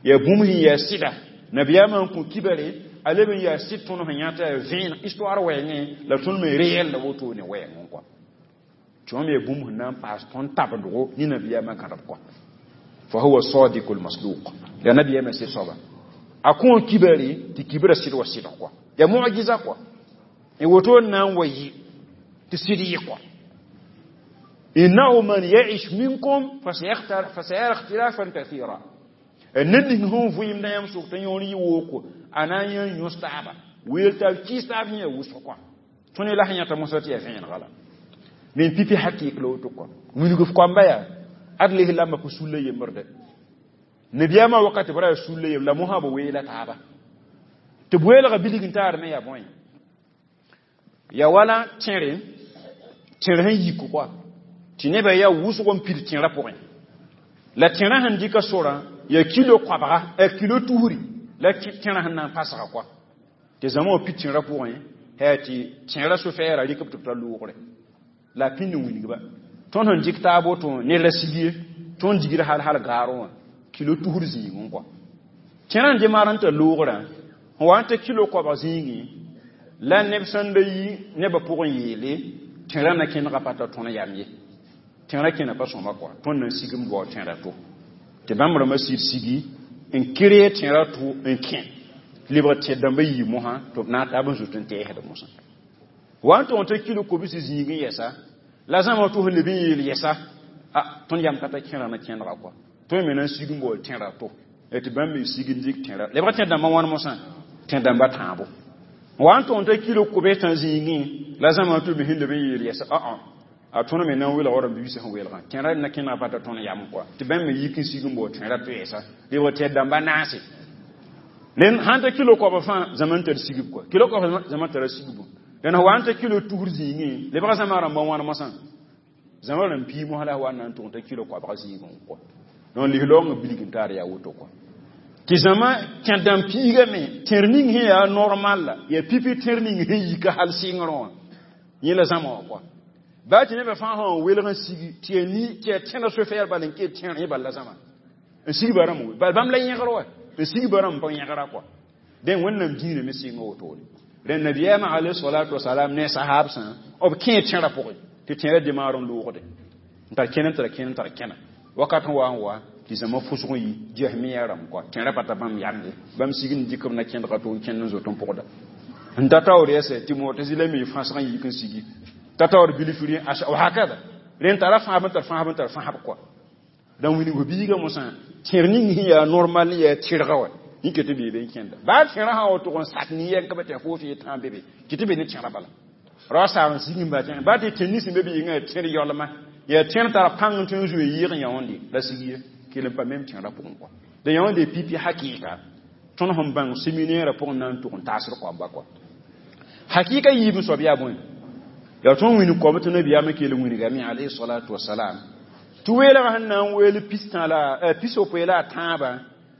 ya bũmb sẽn yaa sɩda nabiyaamã n kõ kibare a leb n yaa sɩd tõnd sẽn yãta ya vẽen histoire wɛɛngẽ la tõnd me réel la woto ne wɛɛng kɔ. Tɩ wãmb yaa bũmb sẽn na n paas tõnd tabendgo ne nabiyaamã gãdb kɔ. Fa huwa sadiqul masduq ya nabiyaamã sɩd soaba a kõ kibare tɩ kibra sɩd wa sɩdg kɔ. Ya mu'jiza kɔ. Y woto n na n wa yɩ tɩ sɩd yɩ kɔ. إنه من يعش منكم فسيرى اختلافا كثيرا. ned ning sẽn vɩɩm na yãmb sʋk t'a yõor yɩ wooko a na n yã yõs taaba weel taab kɩɩs taab sẽn yaa wʋsg kɔa. Tõnd la sẽn yãta mosã tɩ yaa vẽenega la. Nen pipi hakik la woto kɔa. Wilg f koamba yaa ad lislaambã pa sulla yembrde. Nabiyaamã wakat b ra yaa sulla yembr la mosã b weela taaba. Tɩ b weelga bilg n taar me yaa bõe. Ya wala tẽre tẽr sẽn yik kɔa tɩ nebã yaa wʋsg n pid tẽrã pʋgẽ la tẽrã sẽn dɩka sorã yaa kilo koabga kilo tusri la tẽrã sẽn na n pasga kɔa tɩ zãma wã pid tẽrã pʋgẽ yaa tɩ tẽrã sofɛɛra rɩk b tɩ b ta loogre la a pĩnd n wilgba tõnd sẽn dɩk taab woto ned ra sig ye tõnd digd hal hal gaarẽ wã kilo tusr zĩigẽ kɔa tẽrã n demaar n tar loogrã sẽn wa n ta kilo koabg zĩigẽ la neb sẽn da yi nebã pʋgẽ yeele tẽrã na kẽnega pa ta tõnd yam ye tẽrã kẽna pa sõma kɔa tõnd na n sigm bao tẽrã to tɩ bãmb rãmbã sɩd sigi n kɩree tẽrã to n kẽ lebg tẽ dãmbã yii mosã tɩ b na n taab n zut n tɛɛsd mosã wa n tʋg n ta kilo kobs zĩigẽ yɛsa la zãma tʋ sẽn leb n yeel yɛsa a tõnd yam ka ta kẽrã na kẽnega kɔa tõe me na n sig n baool tẽrã to tɩ bãmb me sig n dɩk tẽrã lebg tẽ dãmbã wãn mosã tẽ dãmbã tãabo wa n tʋg n ta kilo kobs tã zĩigẽ la zãma tʋ me sẽn leb n yeel yɛsa aa a tõnd me na n welg rãmb biisã sẽn welgã tẽrã na kẽnega pa ta tõnd yam kɔa tɩ bãmb me yik n sig n baool tẽrã to yɛsa lebg tẽ dãmbã naase len sãn ta kilo koabg fãa zãma n tar sigb kɔa kilo koabg zãma tara sigbu dẽn wa n ta kilo tusr zĩigẽ lebga zãma rãmbã wãn mosã zãma rãmb pii mosã la wa n na n tʋg n ta kilo koabg zĩigẽ kɔa donc lislaoongã bilg n taar yaa woto kɔa tɩ zãma kẽ dãmb piigame tẽr ning sẽn yaa normal la yaa pipi tẽr ning sẽn yika hal sɩngrẽ wã yẽ la zãma wã kɔa baa tɩ nebã fãa sã n welg n sigi tɩ yaa ni tɩ yaa tẽra sofɛɛr bal n ket tẽr yẽ bal la zãma n sigba rãmb bal bãmb la yẽgr wa n sigba rãmb pa yẽgra kɔa dẽ wẽnnaam dĩinã me sɩnga wotone rẽn nabiyaamã alayhi salatu wasalam ne sahabsã b kẽe tẽrã pʋgẽ tɩ tẽrã demaar n loogde n tar kẽne n tara kẽne n tar kẽna wakat sẽn wa n wa tɩ zãma fʋsg n yi jahmiya rãmb kɔa tẽrã pa ta bãmb yam ye bãmb sig n dɩk b na kẽndga tʋ n kẽnd n zot n pʋgda n ta taoor yɛsɛ tɩ mu'tazila me fãsg n yik n sigi ta taoor bilfri hakada rẽn tara fãab n tar fãab n tar fãab kɔa dãn wilg biigã mosã tẽr ning sẽn yaa normal yaa tɩrga wa yẽ ket tɩ beebe n kẽnda baa tẽrã sã wa tʋg n sak nin-yɛng ka be tɩ fo fɩ tãa be be kɩ tɩ be ne tẽrã bala ra saag n sig n ba tẽ baa tɩ tẽr nins be be yĩngã yaa tẽr yaolma yaa tẽr tara pãng n tõe n zoe yɩɩg n yãonde la sig ye kell n pa mem tẽrã pʋgẽ kɔa da yãonde pipi hakɩɩka tõnd sẽn bãng séminaire pʋgẽ na n tʋg n taasd koamba kɔa hakɩɩka yiib n soab yaa bõe yaa tõnd wĩnig koam tɩ nabiyaamã kell n wingame alayhi salatu wasalam tɩ weelgã sẽn na n weel pistã la pis-yopoe la a tãabã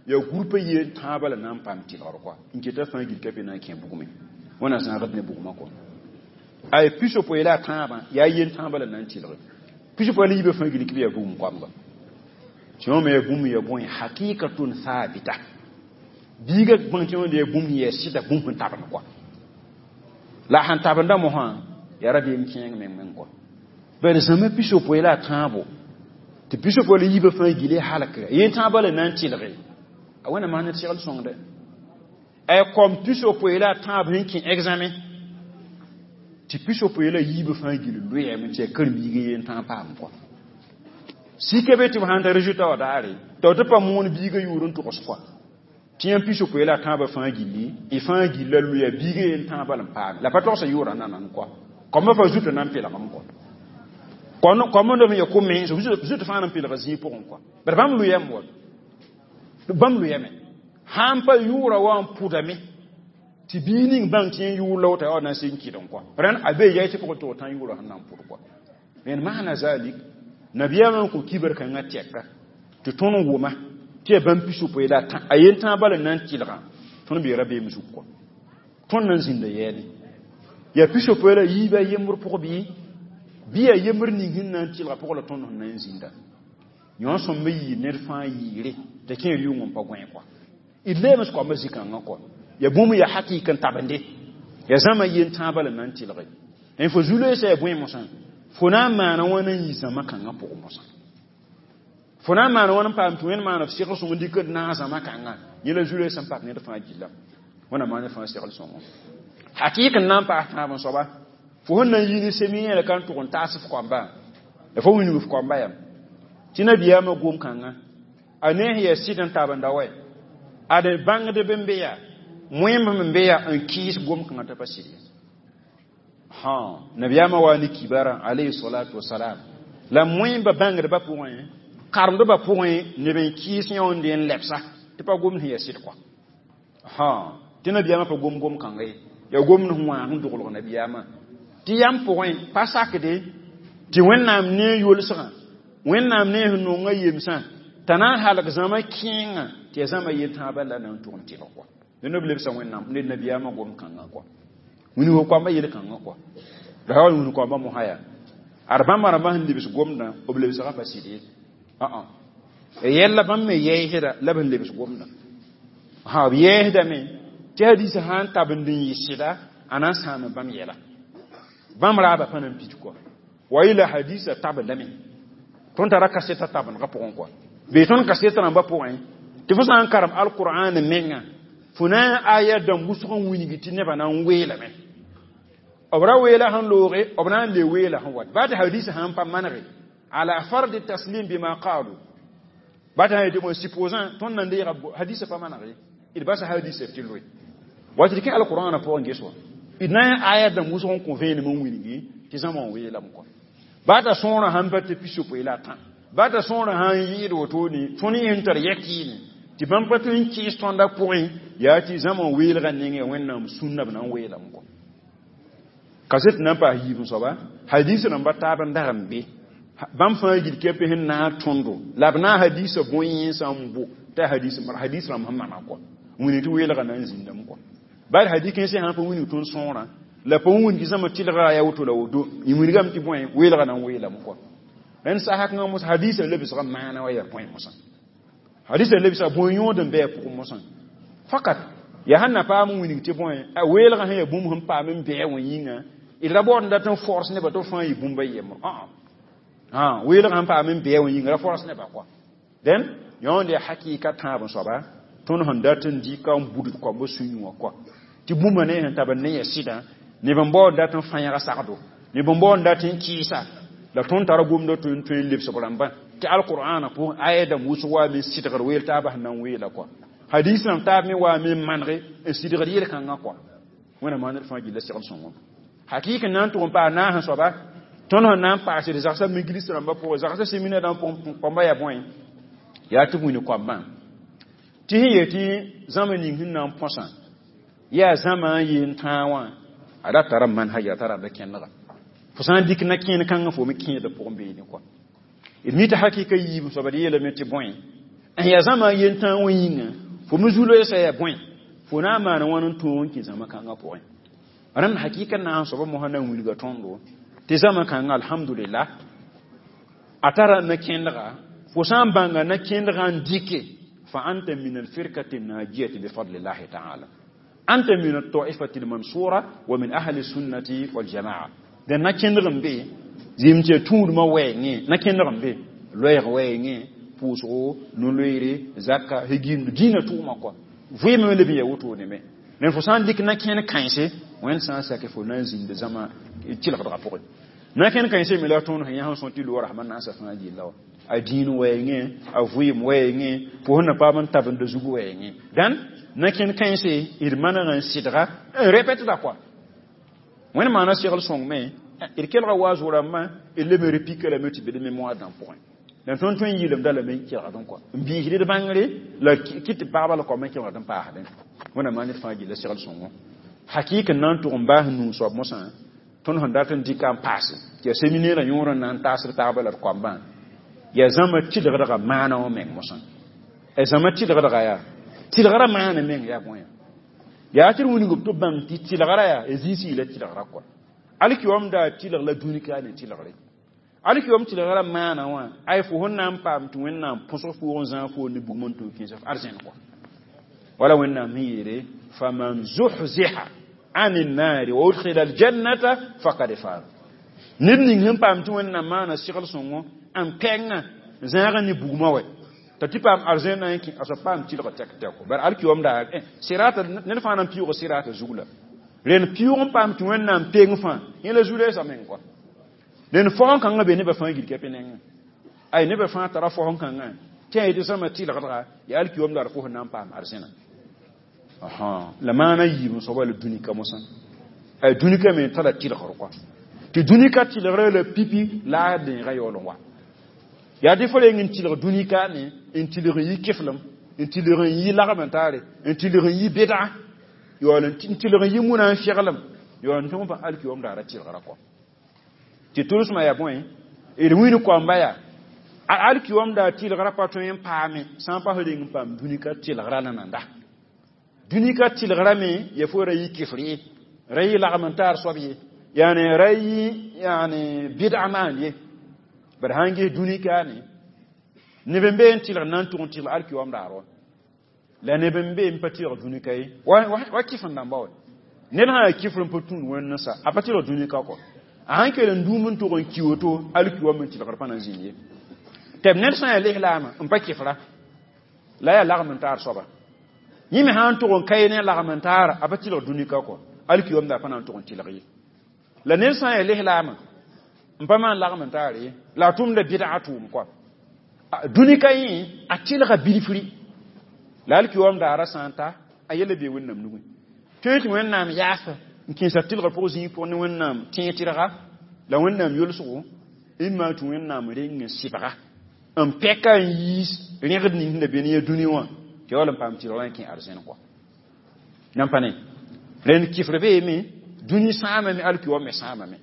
yaa gũrpã yeen tãabã la na n paam tɩlgr kɔa n keta fãa gil ka pe na n kẽ bugme wẽna zãagd ne bugmã kɔa ay pis-yopoe la a tãabã yaa yen tãabã la na n tɩlge pis-yopoe la yiibã fãa gil kɩ b yaa bugum koamga tɩ wã me yaa bũmb ya bõe hakikatun thabita biiga bãng tɩ wãnda yaa bũmb yaa sɩda bũmb sẽn tabend kɔa la sãn tabenda mosã yaa rabeem kẽeng meng meng kɔa bala zãma pis-yopoe la a tãabo tɩ pis-yopoe la yiibã fãa gile halkra yen tãabã la na n tɩlge a wẽnna maan ne segl sõngde ay kom pis-yopoe la a tãab sẽn kẽ examen tɩ pis-yopoe la yiibã fãa gil loeeme tɩ yaa karen-biigã yen tãag paam kɔa sika be tɩ b sãn ta résultat wã daare tɩ b tɩ pa moon biigã yʋʋr n togs kɔa tɩ yãmb pis-yopoe la a tãabã fãa gilli y fãa gilla loya biigã yen tãabã la n paame la pa togsa yʋʋra nanan kɔa kombã fa zutã na n pelgame kɔa kombã n ya ko mens zut fãa na n pelga zĩig pʋgẽ kɔa bala bãmb loyame wa bãmb loyame sãn pa yʋʋra wa n pʋdame tɩ bii ning bãng tɩ yẽ yʋʋr la woto yaa na n seg n kɩd n kɔa rẽn a bee yɛy tɩ pʋgẽ tɩ tã yʋʋra sẽn na n pʋd kɔa rẽnd maana zalik nabiyaamã n kõ kibar kãngã tɛka tɩ tõnd wʋma tɩ yaa bãmb pis-yopoe la a yen tãabã la na n tɩlgã tõnd bee rabeem zug kɔa tõnd na n zĩnda yɛɛne yaa pis-yopoe la yiibã yembr pʋg bɩ bɩ yaa yembr ning sẽn na n tɩlga pʋgã la tõnd sẽn na n zĩnda yõ sõmb yɩɩ ned fãa yɩɩre t'a kẽer yʋng n pa gõe kɔa d leems koambã zĩ-kãngã kɔa yaa bũmb yaa hakɩɩk n tabende yaa zãma yen tãabã la na n tɩlge n fo zu-loeesã yaa bõe mosã fo na n maana wãna n yɩ zãma kãngã pʋgẽ mosã fo na n maana wãn n paam tɩ wẽnd maana f segl sõng n dɩk d naag zãma kãngã yẽ la zu-loeesã n pak ned fãa gilla wẽna maan ned fãa segl sõngo hakɩɩk n na n paas tãab n soaba fo sẽn na n yi ne séminaire ka n tʋg n taas f koamba la fo wilg f koamba yam tɩ nabiyaamã gom kãngã a ne sẽn yaa sɩd n tabenda wɛ ad bãngdb n be yaa wẽmb n be yaa n kɩɩs gom kãngã t'a pa sɩd ye ha nabiyaamã wa ne kibara alayhi salatu wasalam la wẽmba bãngdbã pʋgẽ karemdbã pʋgẽ neb n kɩɩs yãonde n lebsa tɩ pa gomd sẽn yaa sɩd kɔa ha tɩ nabiyaamã pa gom gom kãnga ye yaa gomd sẽn wãag n doglg nabiyaamã Tɩ yam pʋgẽ pa sakde tɩ Wẽnnaam ne yolsgã, Wẽnnaam ne sẽn nonga yemsã, t'a na n halg zãma kẽengã tɩ yaa zãma yel tãabã la na n tʋg n tɩlg kɔa. Dẽnd b lebsa Wẽnnaam ne nabiyaamã gom kãngã kɔa. Wilg koambã yel kãngã kɔa. La wa wilg koambã mosã yaa. Ad bãmba rãmbã sẽn lebs gomdã, b lebsgã pa sɩd ye. Ã-ã. Yɛlla bãmb me yɛɛsda la b sẽn lebs gomdã. Ha b yɛɛsdame tɩ hadiisã sã n tabend n yɩ sɩda, a na n sãam bãmb yɛla. Bãmb raabã pa na n pid kɔa. Wa ila hadiisã tabendame. Tõnd tara kaseta tabendgã pʋgẽ kɔa. Bee tõnd kaseta rãmbã pʋgẽ, tɩ fo sã n karem alqur'an menga, fo na n aya dãmb wʋsg n wilgi tɩ nebã na n weelame. B ra weela sẽn looge, b na n le weela sẽn wat. Baa tɩ hadiisã sãn pa manege, ala fardi taslim bima qalu. Baa tɩ sã yetɩ bõe supposant tõnd na n deega hadiisã pa manege, d basa hadiisã tɩ loe. Wa tɩ d kẽ alqur'an pʋgẽ ges wã. D na n aya dãmb wʋsg n kõ vẽenem n wilgi tɩ zãma n weelame kɔa. Baa t'a sõorã sãn pa tɩ pisopoe la a tã. Baa t'a sõorã sãn yɩɩd wotone, tõnd yẽ sẽn tar yakɩɩne, tɩ bãmb pa tõe n kɩɩs tõndã pʋgẽ, yaa tɩ zãma n weelgã nengẽ Wẽnnaam sũnna b na n weelame kɔa. Kaset na n paas yiib n soaba, hadiis rãmba taab n dag n be. Bãmb fãa gil kɛpɛ sẽn naag tõndo, la b naag hadiisã bõe-yẽnsã n bo, t'a hadiis hadiis rãmb sẽn mana kɔa. Wĩni tɩ weelgã na n zĩndame kɔa. Baa hadiis kãensã sãn pa wilg tõnd sõorã, la pa wilg zãma tɩlga yaa woto la woto, y wilgame tɩ bõe weelgã na n weelame kɔa. Rẽnd sasa kãngã mosã hadiisã lebsga maana wa yaa bõe mosã. Hadiisã lebsga bõe yõod n bɩ a pʋgẽ mosã. Fakat, yaa sẽn na paam n wilg tɩ bõe, a weelgã sẽn yaa bũmb sẽn paam n bɩ wã yĩnga, d ra baood n dat n force nebã tɩ b fãa yɩ bũmb a yembr. Ã ã weelgã sẽn paam n bɩ wã yĩnga ra force nebã kɔa. Dẽn yõnd yaa hakɩɩka tãab n soaba, tõnd sẽn dat n dɩka n budd koambã sũ-yũ wã kɔa. Tɩ bũmba ne sẽn tab n ne yaa sɩdã, neb n baood dat n fãyga sagdo, neb n baood dat n kɩɩsa, la tõnd tara gomdã tõe n tõe n lebsg rãmbã tɩ alqur'ana pʋgẽ aya dãmb wʋsg waame n sɩdgd weel taabã sẽn na n weela kɔa. Hadiis rãmb taab me waame n manege n sɩdgd yel-kãngã kɔa. Wẽnnaam maan d fãa gilla segl sõngo. Hakɩɩk n na n tʋg n paas naas n soaba, tõnd sẽn na n paasd zagsã miglis rãmbã pʋgẽ, zagsã séminaire rãmb pʋgẽ, koambã yaa bõe? Yaa tɩ b wĩni koambã. Tɩ sẽn yeel tɩ zãma ning sẽn na n põsã, yaa zãma n yeen tãag wã, a ra tara manhaj, a tara da kẽndga. Fo sã n dɩk na-kẽen kãngã fo me kẽedã pʋgẽ beene kɔa. D mi tɩ hakɩɩka yiib soaba d yeelame tɩ bõe, n yaa zãma n yen tãag wã yĩnga, fo me zu-loeesã yaa bõe, fo na n maana wãn n tõog n kẽ zãma kãngã pʋgẽ. Rẽnd hakɩɩka naas soaba mosã na n wilga tõndo tɩ zãma kãngã alhamdulillah, a tara na-kẽndga, fo sã n bãnga na-kẽndgã n dɩke, fa anta min alfirkati najiyati bifadlillahi taala. Anta min altaifati almansura wa min ahli sunnati waljamaa. Dẽn na-kẽndg n be, zɩɩm tɩ ya tũudmã wɛɛngẽ, na-kẽndg n be, loɛɛg wɛɛngẽ, pʋʋsgo, no-loeere, zaka, higimd, dĩinã tʋʋma kɔa. Vɩɩmã me leb n yaa wotone me. Dẽn fo sã n dɩk na-kẽnd kãense, Wẽnd sã n sak fo na n zĩnd zãma tɩlgdgã pʋgẽ. Na-kẽnd kãensã me la tõnd sẽn yã sẽn sõt tɩ loora sãma naasã fãa gilla wã. A dĩin wɛɛngẽ, a vɩɩm wɛɛngẽ, fo sẽn na paam n tabenda zug wɛɛngẽ. Dãn na-kẽnd kãense d maneg n sɩdga n répétda kɔa. Wẽnd maana segl sõng me, d kelga waas rãmbã, d leb n repika lame tɩ be d mémoire dãmb pʋgẽ. La tõnd tõe n yɩlemda lame n kelgd n kɔa. N biisd d bãngre la kɩt tɩ pagba la koambã kelgd n paasdẽ. Wẽnnaam maan d fãa gilla segl sõngo. Hakɩɩk n na n tʋg n baas nuu soab mosã, tõnd sẽn dat n dɩka n paase, tɩ yaa séminaire yõor n na n taasd taabã la d koambã, yaa zãma tɩlgdgã maana wã meng mosã. A zãma tɩlgdgã yaa, tɩlgrã maana meng yaa bõe? Yaa tɩ d wilg b tɩ bãng tɩ tɩlgrã yaa, a zĩisi la tɩlgrã kɔa. Alkiwam daa tɩlg la dũni ka ne tɩlgre. Alkiwam tɩlgrã maana wã, ay fo sẽn na n paam tɩ Wẽnnaam põsg foog n zãag fo ne bugum n tʋ kẽes f arzẽn kɔa. Wala Wẽnnaam sẽn yeele, faman zuhziha ani nnaari wa udkhila aljannata faqad faz. Ned ning sẽn paam tɩ Wẽnnaam maana segl sõngo n pɛngã zãagã ne bugmã wɛ. T'a tɩ paam arzẽn na n kẽ, a soab paam tɩlg tɛk tɛko. Bara alkiwam daa sɩrata ned fãa na n pɩʋʋg sɩrata zug la. Rẽnd pɩʋʋg n paam tɩ Wẽnnaam peng fãa, yẽ la zu-loeesã meng kɔa. Rẽnd fao kãngã be nebã fãa gil kɛpẽ nengẽ. Ay nebã fãa tara fao kãngã tɩ a yetɩ zãma tɩlgdga yaa alkiwam daar fo sẽn na n paam arzẽna. Aha, la maana yiib n soaba la dũnika mosã. Ay dũnika me tara tɩlgr kɔa. Tɩ dũnika tɩlgrã la pipi la a dẽegã yaool n wa. Yaa tɩ fo reng n tɩlg dũnika ne, n tɩlg n yi keflem, n tɩlg n yi lagm n taare, n tɩlg n yi beda, yaool n tɩlg n yi muna n feglem. Yo n tõog pa alkiom daara tɩlgra kɔ tɩ tʋlsmã yaa bõe d wĩnd koamba yaa alkiom daa tɩlgra pa tõe n paame sã n pa f reng n paam dũnika tɩlgra nananda dũnika tɩlgra me ya fo ra yɩ kɩfr ye ra yɩ lagm n taar soab ye yaani ra yɩ yaani bɩd'a maan ye bad sãn ges dũnika ne neb n be n tɩlg na n tʋg n tɩlg alkiom daar wa la neb n be n pa tɩlg dũnika ye wa kɩf n dãmba wa ned sã yaa kɩfr n pa tũud wẽnd sa a pa tɩlg dũnika kɔ a sãn kell n dũum n tʋg n ki woto alkiom n tɩlgr pa na n zĩnd ye tɩ b ned sã n yaa lislaamã n pa kɩfra la yaa lagm n taar soaba yẽ me sã n tʋg n ka ye ne lagm n taara a pa tɩlg dũnika kɔ alkiom daa pa na n tʋg n tɩlg ye la ned sã n yaa lislaamã n pa maan lagm n taar ye la a tʋmda bɩdga tʋʋm kɔ dũnika yẽ a tɩlga bilfri la alkiom daara sã n ta a yɛla bee wẽnnaam nugẽ tõe tɩ wẽnnaam yaasa n kẽesa tɩlgr pʋg zĩig pʋgẽ ne wẽnnaam tẽeg tɩrga la wẽnnaam yolsgo n maan tɩ wẽnnaam reng n sɩbga n pɛka n yiis rẽgd ning sẽn da be ne ya dũni wã tɩ ya wall n paam tɩlgrã n kẽ arzẽn kɔ nan pa ne rẽnd kɩfr beeme dũni sãamame alkiwam me sãamame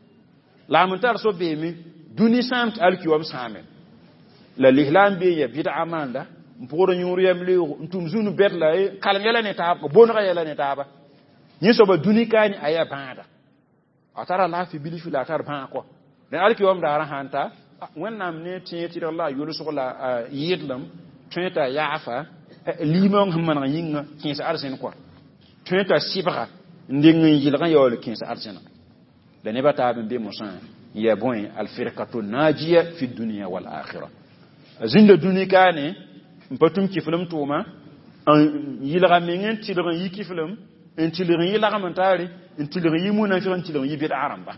lagm n tar soab beeme dũni sãam tɩ alkiwam sãame la lislaam bee ya bɩdga maanda n pʋgd yõor yam leoogo n tʋm zũnu bɛd la kalem yɛla ne taaba bõnega yɛla ne taaba yẽ soaba dũni kaane a yaa bãada a tara laafɩ bilf la a tar bãag kɔ rẽ alkiwam daara sãn ta wẽnnaam ne tẽeg tɩrg la a yolsg la a yɩɩdlem tõe t'a yaafa liimong sẽn maneg yĩnga kẽes arzẽn kɔ tõe t'a sɩbga n deng n yɩlg n yaool kẽes arzẽna la nebã taab n be mosã n yaa bõe alfirkatu najiya fi dunia wal akhira a zĩnda dũni kaane n pa tũm kɩflem tʋʋma n yɩlga meng n tɩlg n yi kɩflem n tɩlg n yɩ lagm n taare n tɩlg n yɩ munafɩg n tɩlg n yɩ bɩdga rãmba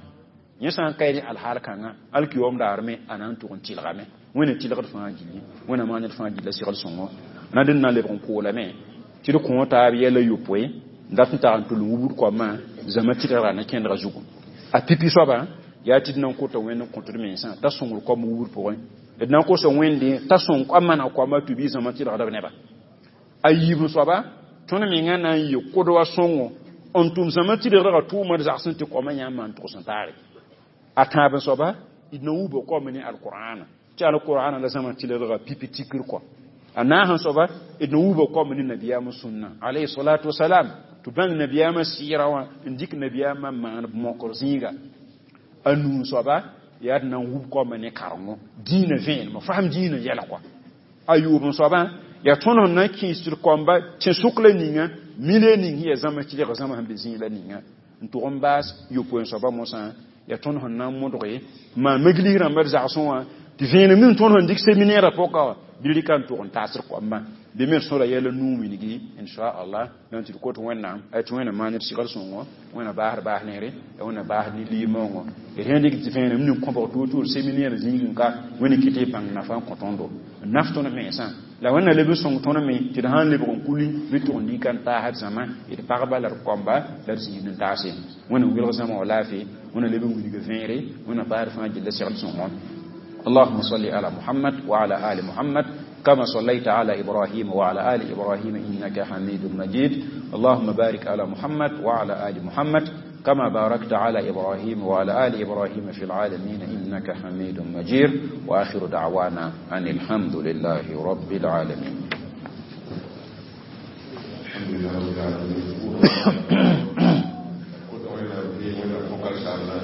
yẽ sã n ka ne alhaal kãngã alkiom daar me a na n tʋg n tɩlgame wẽnna tɩlgd fãa gilli wẽnna maan d fãa gilla segl sõngo na dẽnd na n lebg n koolame tɩ d kõ taab yɛla yopoe n dat n tag n tʋl n wubd koamã zãma tɩlgra na kẽndga zugu a pipi soaba yaa tɩ d na n kota wẽnd n kõt d mensã t'a sõngr koam wubd pʋgẽ d na n kosa wẽnde t'a sõng koam mana koamã tɩ bɩ zãma tɩlgda b neba a yiib soaba tõnd menga na n yɩ kod wa sõngo n tʋm zãma tɩlgdga tʋʋma d zagsẽ tɩ koamã yãmb maan tʋgs n taare a tãab soaba d na wuba koam ne alqur'ana tɩ alqur'ana la zãma tɩlgdga pipi tikr kɔ a naasẽ soaba d na wuba koam ne nabiyaamã sũnna alayhi salatu wasalam tɩ bãng nabiyaamã sɩɩra wã n dɩk nabiyaamã maan mokr zĩiga a nuu soaba yaa d na n wub koamã ne karengo dĩinã vẽenemã fasem dĩinã yɛla kɔa a yʋʋb n soabã yaa tõnd sẽn na n kẽes tɩ d koamba tẽ-sʋk la ninga mile ning sẽn yaa zãma tɩlg zãma sẽn be zĩig la ninga n tʋg n baas yopoe n soaba mosã yaa tõnd sẽn na n modge maan meglis rãmba d zagsẽ wã tɩ vẽenem ning tõnd sẽn dɩk séminaire pʋka wã bɩ rɩka n tʋg n taasd koambã bɩ me sõra yɛla nuu wilgi inchallah donc tɩ d kot wẽnnaam tɩ wẽnna maan d segl sõngo wẽnna baasd baas neere wẽnna baasd ne liimaoongõ d sẽn dɩk tɩ vẽenem ning kõbg toor-toor séminaire zĩig n ka wẽnd kɩ tɩ bãng nafa n kõ tõndo n naf tõnd mensã la wẽnna leb n sõng tõnd me tɩ d sãn lebg n kuli bɩ tʋg n lika n taasd zãma d pagba la d koamba la d zĩig n taase wẽnna wilg zãma wa laafɩ wẽnna leb n wilg vẽere wẽnna baasd fãa gilla segl sõngo اللهم صل على محمد وعلى آل محمد كما صليت على إبراهيم وعلى آل إبراهيم إنك حميد مجيد اللهم بارك على محمد وعلى آل محمد كما باركت على إبراهيم وعلى آل إبراهيم في العالمين إنك حميد مجيد وآخر دعوانا أن الحمد لله رب العالمين الحمد لله رب العالمين.